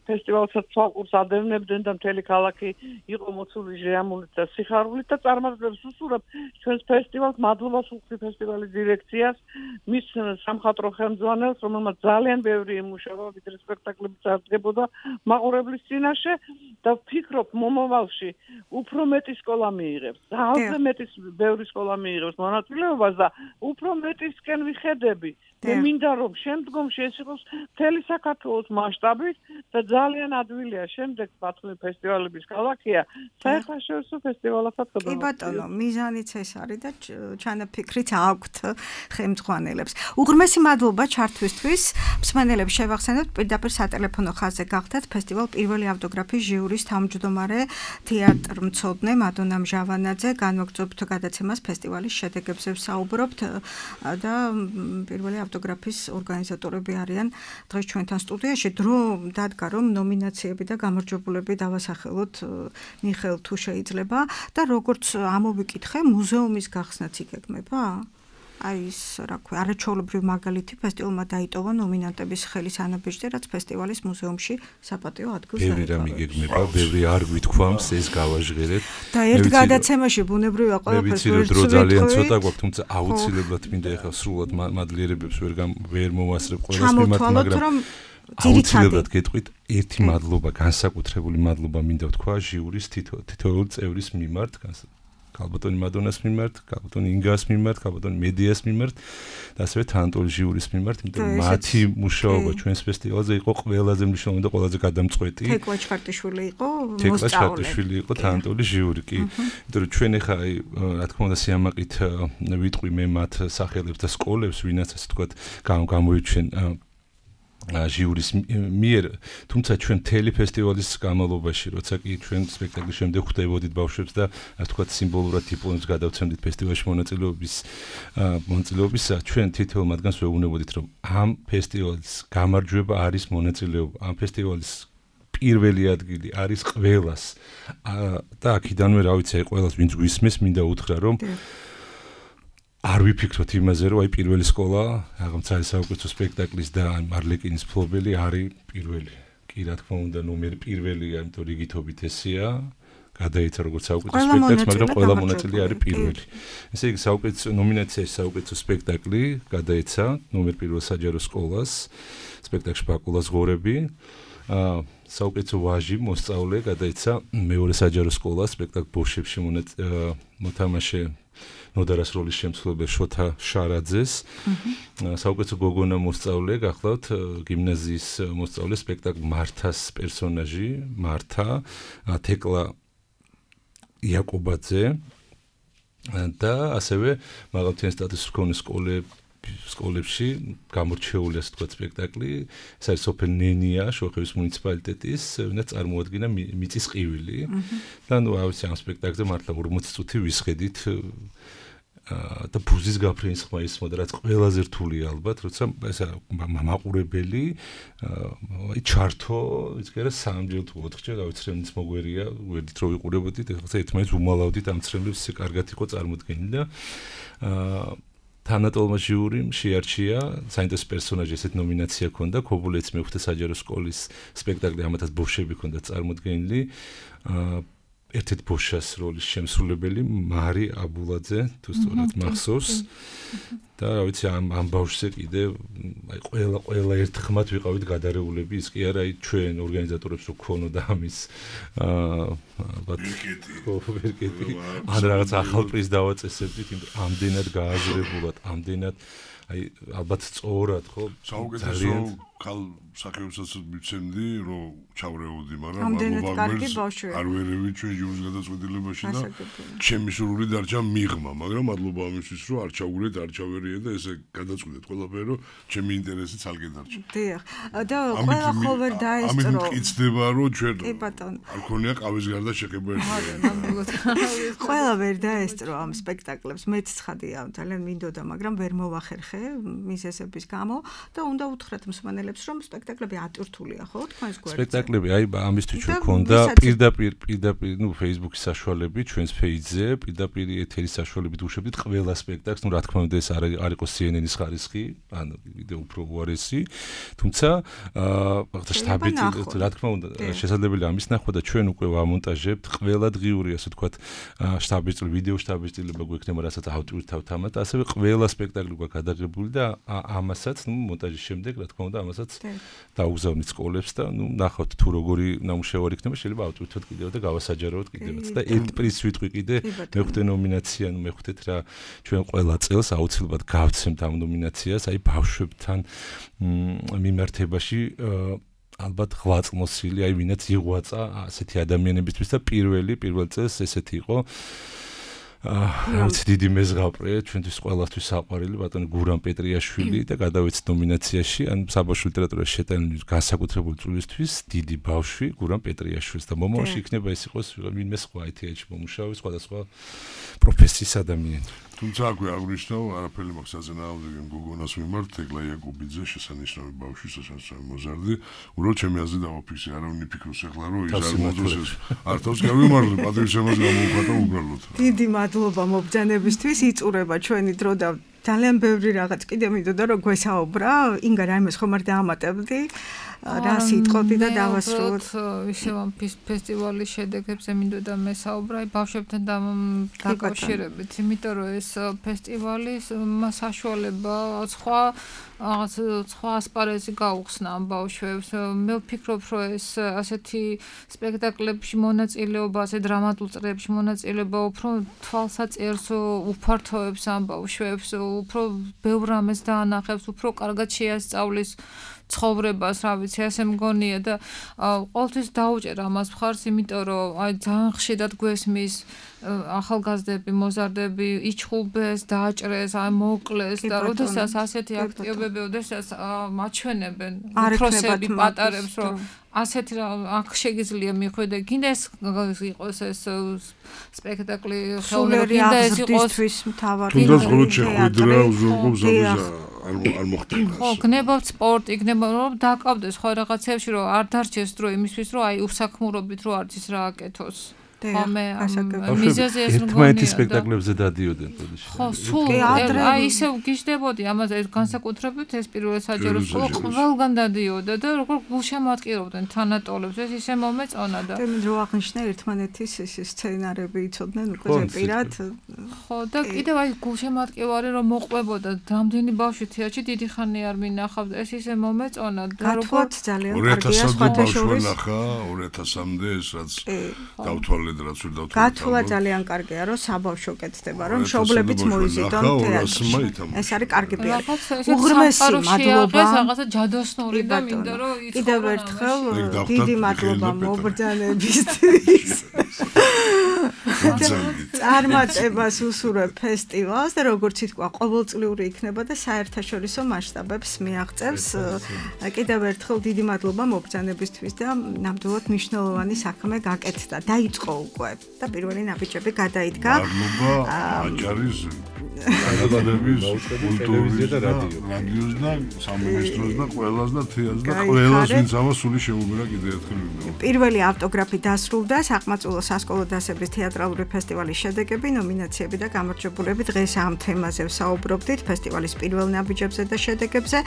Speaker 11: ფესტივალსაც ცალკურს ადევნებდნენ და მთელი ქალაქი იყო მოცული ჟეამულით და სიხარულით და წარმატებებს უსურვებ ჩვენს ფესტივალს. მადლობას ვუხდით ფესტივალის დირექციას, მის სამხატვრო ხელმძღვანელს, რომელმაც ძალიან ბევრი იმუშავა, ვიდრე სპექტაკლები წარდგებოდა მაყურებლის წინაშე და ვფიქრობ მომავალში უფრო მეტი სკოლა მიიღებს. ძალზე მეტი ბევრი სკოლა მიიღებს მონაწილეობას და უფრო მეტისკენ ვიხედები. მე მინდა რომ შემდგომში ეს იყოს მთელი საქართველოს მასშტაბით და ძალიან ადვილია შემდეგ ბათუმის ფესტივალების ქალაქია საერთაშორისო ფესტივალებსაც
Speaker 2: კი ბატონო, მიზანიც ეს არის და ჩანაფიქრით აქვთ ხელმძღვანელებს. უღრმესი მადლობა ჩართვისთვის. მსმენელებს შევახსენებთ, პირდაპირ სატელეფონო ხაზზე გახდათ ფესტივალ პირველი ავტოგრაფის ჟიურის თავმჯდომარე თეატრმცოდნე მადონა მჟავანაძე. განვაგრძობთ გადაცემას ფესტივალის შედეგებზე ვსაუბრობთ და პირველი ავტოგრაფის ორგანიზატორები არიან დღეს ჩვენთან სტუდიაში. დრო დადგა რომ ნომინაციები და გამარჯვებულები დავასახელოთ მიხელ თუ შეიძლება და როგორც ამოვიკითხე მუზეუმის გახსნაც იგეგმება? აი ეს რა ქვია, არაჩვეულებრივი მაგალითი ფესტივალმა დაიტოვა ნომინანტების ხელის ანაბეჭდი, რაც ფესტივალის მუზეუმში საპატიო ადგილს
Speaker 8: დაეყარა. ბევრი რამ იგეგმება, ბევრი არ გვითქვამს, ეს გავაჟღერეთ.
Speaker 2: და ერთ გადაცემაში ბუნებრივია ყველაფერს ვერ
Speaker 8: დრო ძალიან ცოტა გვაქვს, თუმცა აუცილებლად მინდა ახლა სრულად მადლიერებებს ვერ ვერ მოვასწრებ ყველას მიმართ, მაგრამ აუცილებლად გეტყვით ერთი მადლობა, განსაკუთრებული მადლობა მინდა ვთქვა ჟიურის თითოეულ წევრის მიმართ, ქალბატონი მადონას მიმართ, ქალბატონი ინგას მიმართ, ქალბატონი მედიას მიმართ და ასევე თანტოლის ჟიურის მიმართ, იმიტომ რომ მათი მუშაობა ჩვენს ფესტივალზე იყო ყველაზე მნიშვნელოვანი და ყველაზე გადამწყვეტი.
Speaker 2: თეკლა ჩხარტიშვილი იყო მოსწავლე.
Speaker 8: თეკლა ჩხარტიშვილი იყო თანტოლის ჟიური, კი. იმიტომ რომ ჩვენ ახლა აი რა თქმა უნდა სიამაყით ვიტყვი მე მათ სახელებს და სკოლებს, ვინაც ასე თქვა გამოიჩენ ჟიურის მიერ, თუმცა ჩვენ მთელი ფესტივალის განმავლობაში, როცა კი ჩვენ სპექტაკლის შემდეგ ხვდებოდით ბავშვებს და ასე ვთქვათ სიმბოლურად დიპლომებს გადავცემდით ფესტივალში მონაწილეობის მონაწილეობისა, ჩვენ თითოეულ მათგანს ვეუბნებოდით, რომ ამ ფესტივალის გამარჯვება არის მონაწილეობა, ამ ფესტივალის პირველი ადგილი არის ყველას და აქედანვე რა ვიცი, ყველას ვინც გვისმის, მინდა უთხრა, რომ არ ვიფიქროთ იმაზე, რომ აი პირველი სკოლა, რაღაცა საუკეთესო სპექტაკლის და მარლეკინის ფლობელი არის პირველი. კი რა თქმა უნდა, ნომერი პირველია, იმიტომ რიგითობით ესეა. გადაეცა როგორც საუკეთესო სპექტაკლს, მაგრამ ყველა მონაწილე არის პირველი. ესე იგი საუკეთესო ნომინაციაში საუკეთესო სპექტაკლი გადაეცა ნომერ პირველ საჯარო სკოლას, სპექტაკლში ბაკულას ღორები. აა საუკეთესო ვაჟი მოსწავლე გადაეცა მეორე საჯარო სკოლას, სპექტაკლ ბოშებში მოთამაშე ნოდარას როლის შემსრულებელ შოთა შარაძეს. საუკეთესო გოგონა მოსწავლე გახლავთ გიმნაზიის მოსწავლე, სპექტაკლ მართას პერსონაჟი, მართა, თეკლა იაკობაძე და ასევე მაღალმთიანი სტატუსის მქონე სკოლებში გამორჩეული ასე თქვა სპექტაკლი, ეს არის სოფელ ნენია, შუახევის მუნიციპალიტეტის, ვინაც წარმოადგენა მიწის ყივილი. და ნუ ავიცი ამ სპექტაკლზე მართლა ორმოცი წუთი ვისხედით და ბუზის გაფრენის ხმა ისმოდა, რაც ყველაზე რთულია ალბათ, როცა ესა მაყურებელი აი ჩართო, იცი რა სამჯერ თუ ოთხჯერ გავიცრემიც მოგვერია, ვერდით რო ვიყურებოდით, ეხლა ერთმანეთს უმალავდით ამ ცრემლებს, ისე კარგად იყო წარმოდგენილი და აა თანატოლმა ჟიურიმ შეარჩია საინტერესო პერსონაჟი, ესეთ ნომინაცია ჰქონდა, ქობულეც მეხუთე საჯარო სკოლის სპექტაკლი, ამათაც ბოშები ჰქონდა წარმოდგენილი. აა ერთ-ერთ ბოშას როლის შემსრულებელი მარი აბულაძე, თუ სწორად მახსოვს. და რა ვიცი ამ ამ ბავშვზე კიდე აი ყველა ყველა ერთხმად ვიყავით გადარეულები, ის კი არა, აი ჩვენ ორგანიზატორებს რო ქონოდა ამის აა ალბათ ვერკეტი ან რაღაც ახალ პრიზს დავაწესებდით, იმიტომ ამდენად გააზრებულად, ამდენად აი ალბათ სწორად ხო
Speaker 9: საუკეთესო ხალ საკეებსაც მიცემდი, რომ ჩავრეოდი, მაგრამ
Speaker 2: ამდენად კარგი ბავშვია.
Speaker 9: არ ვერევი ჩვენ ჟურის გადაწყვეტილებაში და ჩემი სურვილი დარჩა მიღმა, მაგრამ მადლობა ამისთვის, რომ არ ჩავურეთ, არ ჩავერიე და ესე გადაწყვეტეთ ყველაფერი, რომ ჩემი ინტერესი ცალკე დარჩა.
Speaker 2: დიახ. და ყველა ხოლმე დაესწრო.
Speaker 9: ამით მტკიცდება, რომ ჩვენ არ ქონია ყავის გარდა შეხება ერთად.
Speaker 2: ყველა ვერ დაესწრო ამ სპექტაკლებს, მეც ცხადია, ძალიან მინდოდა, მაგრამ ვერ მოვახერხე მიზეზების გამო და უნდა უთხრათ მსმენელებს, რომ სპექტაკლები ატვირთულია, ხო, თქვენს გვერდზე.
Speaker 8: სპექტაკლები აი ამისთვის ჩვენ ქონდა პირდაპირ პირდაპირ ნუ Facebook-ის საშუალებით, ჩვენს page-ზე, პირდაპირ ეთერის საშუალებით უშვებდით ყველა სპექტაკლს, ნუ რა თქმა უნდა ეს არ არ იყო C N N-ის ხარისხი, ანუ კიდე უფრო უარესი, თუმცა აა შტაბით რა თქმა უნდა შესაძლებელია ამის ნახვა და ჩვენ უკვე ვამონტაჟებთ ყველა დღიური, ასე ვთქვათ, შტაბის წილი, ვიდეო შტაბის წილება გვექნება, რასაც ავტვირთავთ ამათ, ასევე ყველა სპექტაკლი გვაქვს გადაღებული და ამასაც, ნუ მონტაჟის შემდეგ, რა თქმა უნდა, ამასაც დაუგზავნით სკოლებს და ნუ ნახავთ თუ როგორი ნამუშევარი იქნება, შეიძლება ავტვირთოთ კიდევ და გავასაჯაროოთ კიდევაც და ერთ პრიზს ვიტყვი კიდე მეხუთე ნომინაცია, ნუ მეხუთეთ რა ჩვენ ყველა წელს აუცილებლად გავცემთ ამ ნომინაციას, აი ბავშვებთან მიმართებაში ალბათ ღვაწლმოსილი, აი ვინაც იღვაწა ასეთი ადამიანებისთვის და პირველი პირველ წელს ესეთი იყო აა რაც დიდი მეზღაპრე ჩვენთვის ყველასთვის საყვარელი ბატონი გურამ პეტრიაშვილი და გადავეცით ნომინაციაში ან საბავშვო ლიტერატურაში შეტანილი განსაკუთრებული წვლილისთვის დიდი ბავშვი გურამ პეტრიაშვილს და მომავალში იქნება ეს იყოს ვინმე სხვა I T H მომუშავე სხვადასხვა პროფესიის ადამიანი.
Speaker 9: თუმცა აქვე აღნიშნავ, არაფერი მაქვს აზნაავდი გოგონას მიმართ, თეკლა იაკობიძე შესანიშნავი ბავშვი, შესანიშნავი მოზარდი, უბრალოდ ჩემი აზრით დავაფიქსე, არავინ ფიქრობს ახლა რომ ის არ მოძოს არ თავს გავიმარჯვე, პატრიცემას გამოუხატა უბრალოდ.
Speaker 2: დიდი მადლობა მობრძანებისთვის, იწურება ჩვენი დრო და ძალიან ბევრი რაღაც კიდე მინდოდა რომ გვესაუბრა, ინგა რაიმეს ხომ არ დაამატებდი? რა სიტყოდი და დავასრულოთ
Speaker 10: ისევ ამ ფესტივალის შედეგებზე მინდოდა მესაუბრა ბავშვებთან დაკავშირებით, იმიტომ რომ ეს ფესტივალი საშუალება სხვა რაღაც სხვა ასპარეზი გაუხსნა ამ ბავშვებს. მე ვფიქრობ, რომ ეს ასეთი სპექტაკლებში მონაწილეობა, ასე დრამატულ წრეებში მონაწილეობა უფრო თვალსაჭერს უფართოებს ამ ბავშვებს, უფრო ბევრ რამეს დაანახებს, უფრო კარგად შეასწავლის ცხოვრებას, რა ვიცი, ასე მგონია და ყოველთვის დაუჭერ ამას მხარს, იმიტომ რომ აი ძალიან ხშირად გვესმის ახალგაზრდები, მოზარდები იჩხუბეს, დააჭრეს, აი მოკლეს და როდესაც ასეთი აქტივობები, როდესაც მაჩვენებენ უფროსები პატარებს, რომ ასეთი აქ შეგიძლია მიხვიდე, გინდა ეს იყოს ეს სპექტაკლი ხელოვნური, გინდა ეს იყოს
Speaker 2: მთავარი
Speaker 9: თუნდაც ხოლმე შეხვედრა უზრუნველყოფს ამას არ მოხდება.
Speaker 10: ხო, გნებავთ სპორტი, გნებავთ რომ დაკავდეს ხო რაღაცებში, რომ არ დარჩეს დრო იმისთვის, რომ აი უსაქმურობით რო არც ის რა აკეთოს. ხომე მიზეზი ეს მგონია.
Speaker 8: ერთმანეთის სპექტაკლებზე დადიოდნენ ბოდიში.
Speaker 10: ხო, სულ აი ისევ გიждდებოდი ამაზე ეს განსაკუთრებით ეს პირველ საჯარო სკოლა ყველგან დადიოდა და როგორ გულშემატკივრობდნენ თანატოლებს ეს ისე მომეწონა და
Speaker 2: მე რო აღნიშნე ერთმანეთის ეს სცენარები იცოდნენ უკვე პირად.
Speaker 10: ხო და კიდევ აი გულშემატკივარი რომ მოყვებოდა რამდენი ბავშვი თეატრში დიდი ხანი არ მინახავდა ეს ისე მომეწონა და
Speaker 2: როგორ ძალიან კარგია სხვათა შორის
Speaker 9: ნახა ორი ათასამდე ეს რაც დავთვალეთ რაც ვერ დავთვალეთ.
Speaker 2: გათვლა ძალიან კარგია რომ საბავშვო კეთდება რომ მშობლებიც მოიზიდონ თეატრში. ეს არის კარგი პირი. უღრმესი მადლობა.
Speaker 10: რაღაცა ჯადოსნური და მინდა რომ იცხოვრო.
Speaker 2: კიდევ ერთხელ დიდი მადლობა მობრძანებისთვის. წარმატებას უსურვებ ფესტივალს და როგორც ითქვა ყოველწლიური იქნება და საერთაშორისო მასშტაბებს მიაღწევს. კიდევ ერთხელ დიდი მადლობა მობრძანებისთვის და ნამდვილად მნიშვნელოვანი საქმე გაკეთდა. დაიწყო უკვე და პირველი ნაბიჯები გადაიდგა.
Speaker 9: მადლობა აჭარის განათლების კულტურის და რადიოს და სამინისტროს და ყველას და თეატრს და ყველას ვინც ამას სული შეუგრა კიდევ ერთხელ ვიმეორებ.
Speaker 2: პირველი ავტოგრაფი დასრულდა საყმაწვილო სასკოლო დასების თეატრალური ფესტივალის შედეგები, ნომინაციები და გამარჯვებულები. დღეს ამ თემაზე ვსაუბრობდით ფესტივალის პირველ ნაბიჯებზე და შედეგებზე.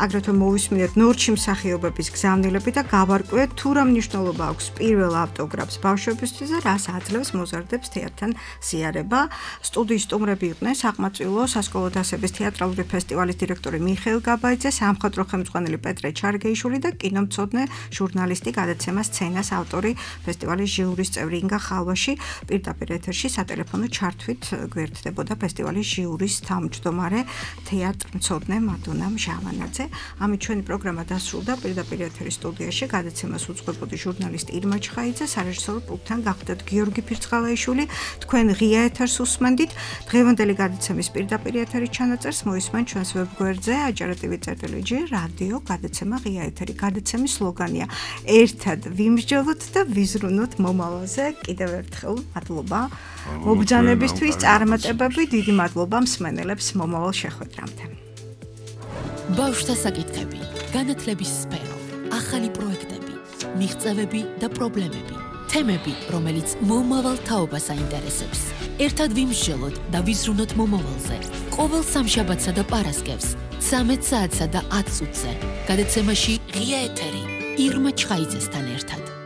Speaker 2: აგრეთვე მოვისმინეთ ნორჩი მსახიობების გზავნილები და გავარკვიეთ თუ რა მნიშვნელობა აქვს პირველ ავტოგრაფს ბავშვებისთვის და რას აძლევს მოზარდებს თეატრთან ზიარება. სტუდიის სტუმრები იყვნენ საყმაწვილო სასკოლო დასების თეატრალური ფესტივალის დირექტორი მიხეილ გაბაიძე, სამხატვრო ხელმძღვანელი პეტრე ჩარგეიშვილი და კინომცოდნე ჟურნალისტი გადაცემა სცენას ავტორი ფესტივალის ჟიურის წევრი ინგა ხალვაში. პირდაპირ ეთერში სატელეფონო ჩართვით გვერდდებოდა ფესტივალის ჟიურის თავმჯდომარე თეატრმცოდნე მადონა მჟავანაძე. ამით ჩვენი პროგრამა დასრულდა. პირდაპირ ეთერის სტუდიაში გადაცემას უძღვებოდი ჟურნალისტი ირმა ჩხაიძე, სარეჟისორო პულტთან გახდათ გიორგი ფირცხალაიშვილი. თქვენ ღია ეთერს უსმენდით. დღევანდელი გადაცემის პირდაპირ ეთერის ჩანაწერს მოისმენ ჩვენს ვებგვერდზე ajarativi.gr რადიო გადაცემა ღია ეთერი. გადაცემის სლოგანია ერთად ვიმსჯელოთ და ვიზრუნოთ მომავალზე. კიდევ ერთხელ მადლობა მობრძანებისთვის, წარმატებები, დიდი მადლობა მსმენელებს მომავალ შეხვედრამდე.
Speaker 1: ბავშვთა საკითხები, განათლების სფერო, ახალი პროექტები, მიღწევები და პრობლემები, თემები, რომელიც მომავალ თაობას აინტერესებს. ერთად ვიმსჯელოთ და ვიზრუნოთ მომავალზე. ყოველ სამშაბათსა და პარასკევს, ცამეტ საათსა და ათ წუთზე. გადაცემაში ღია ეთერი ირმა ჩხაიძესთან ერთად.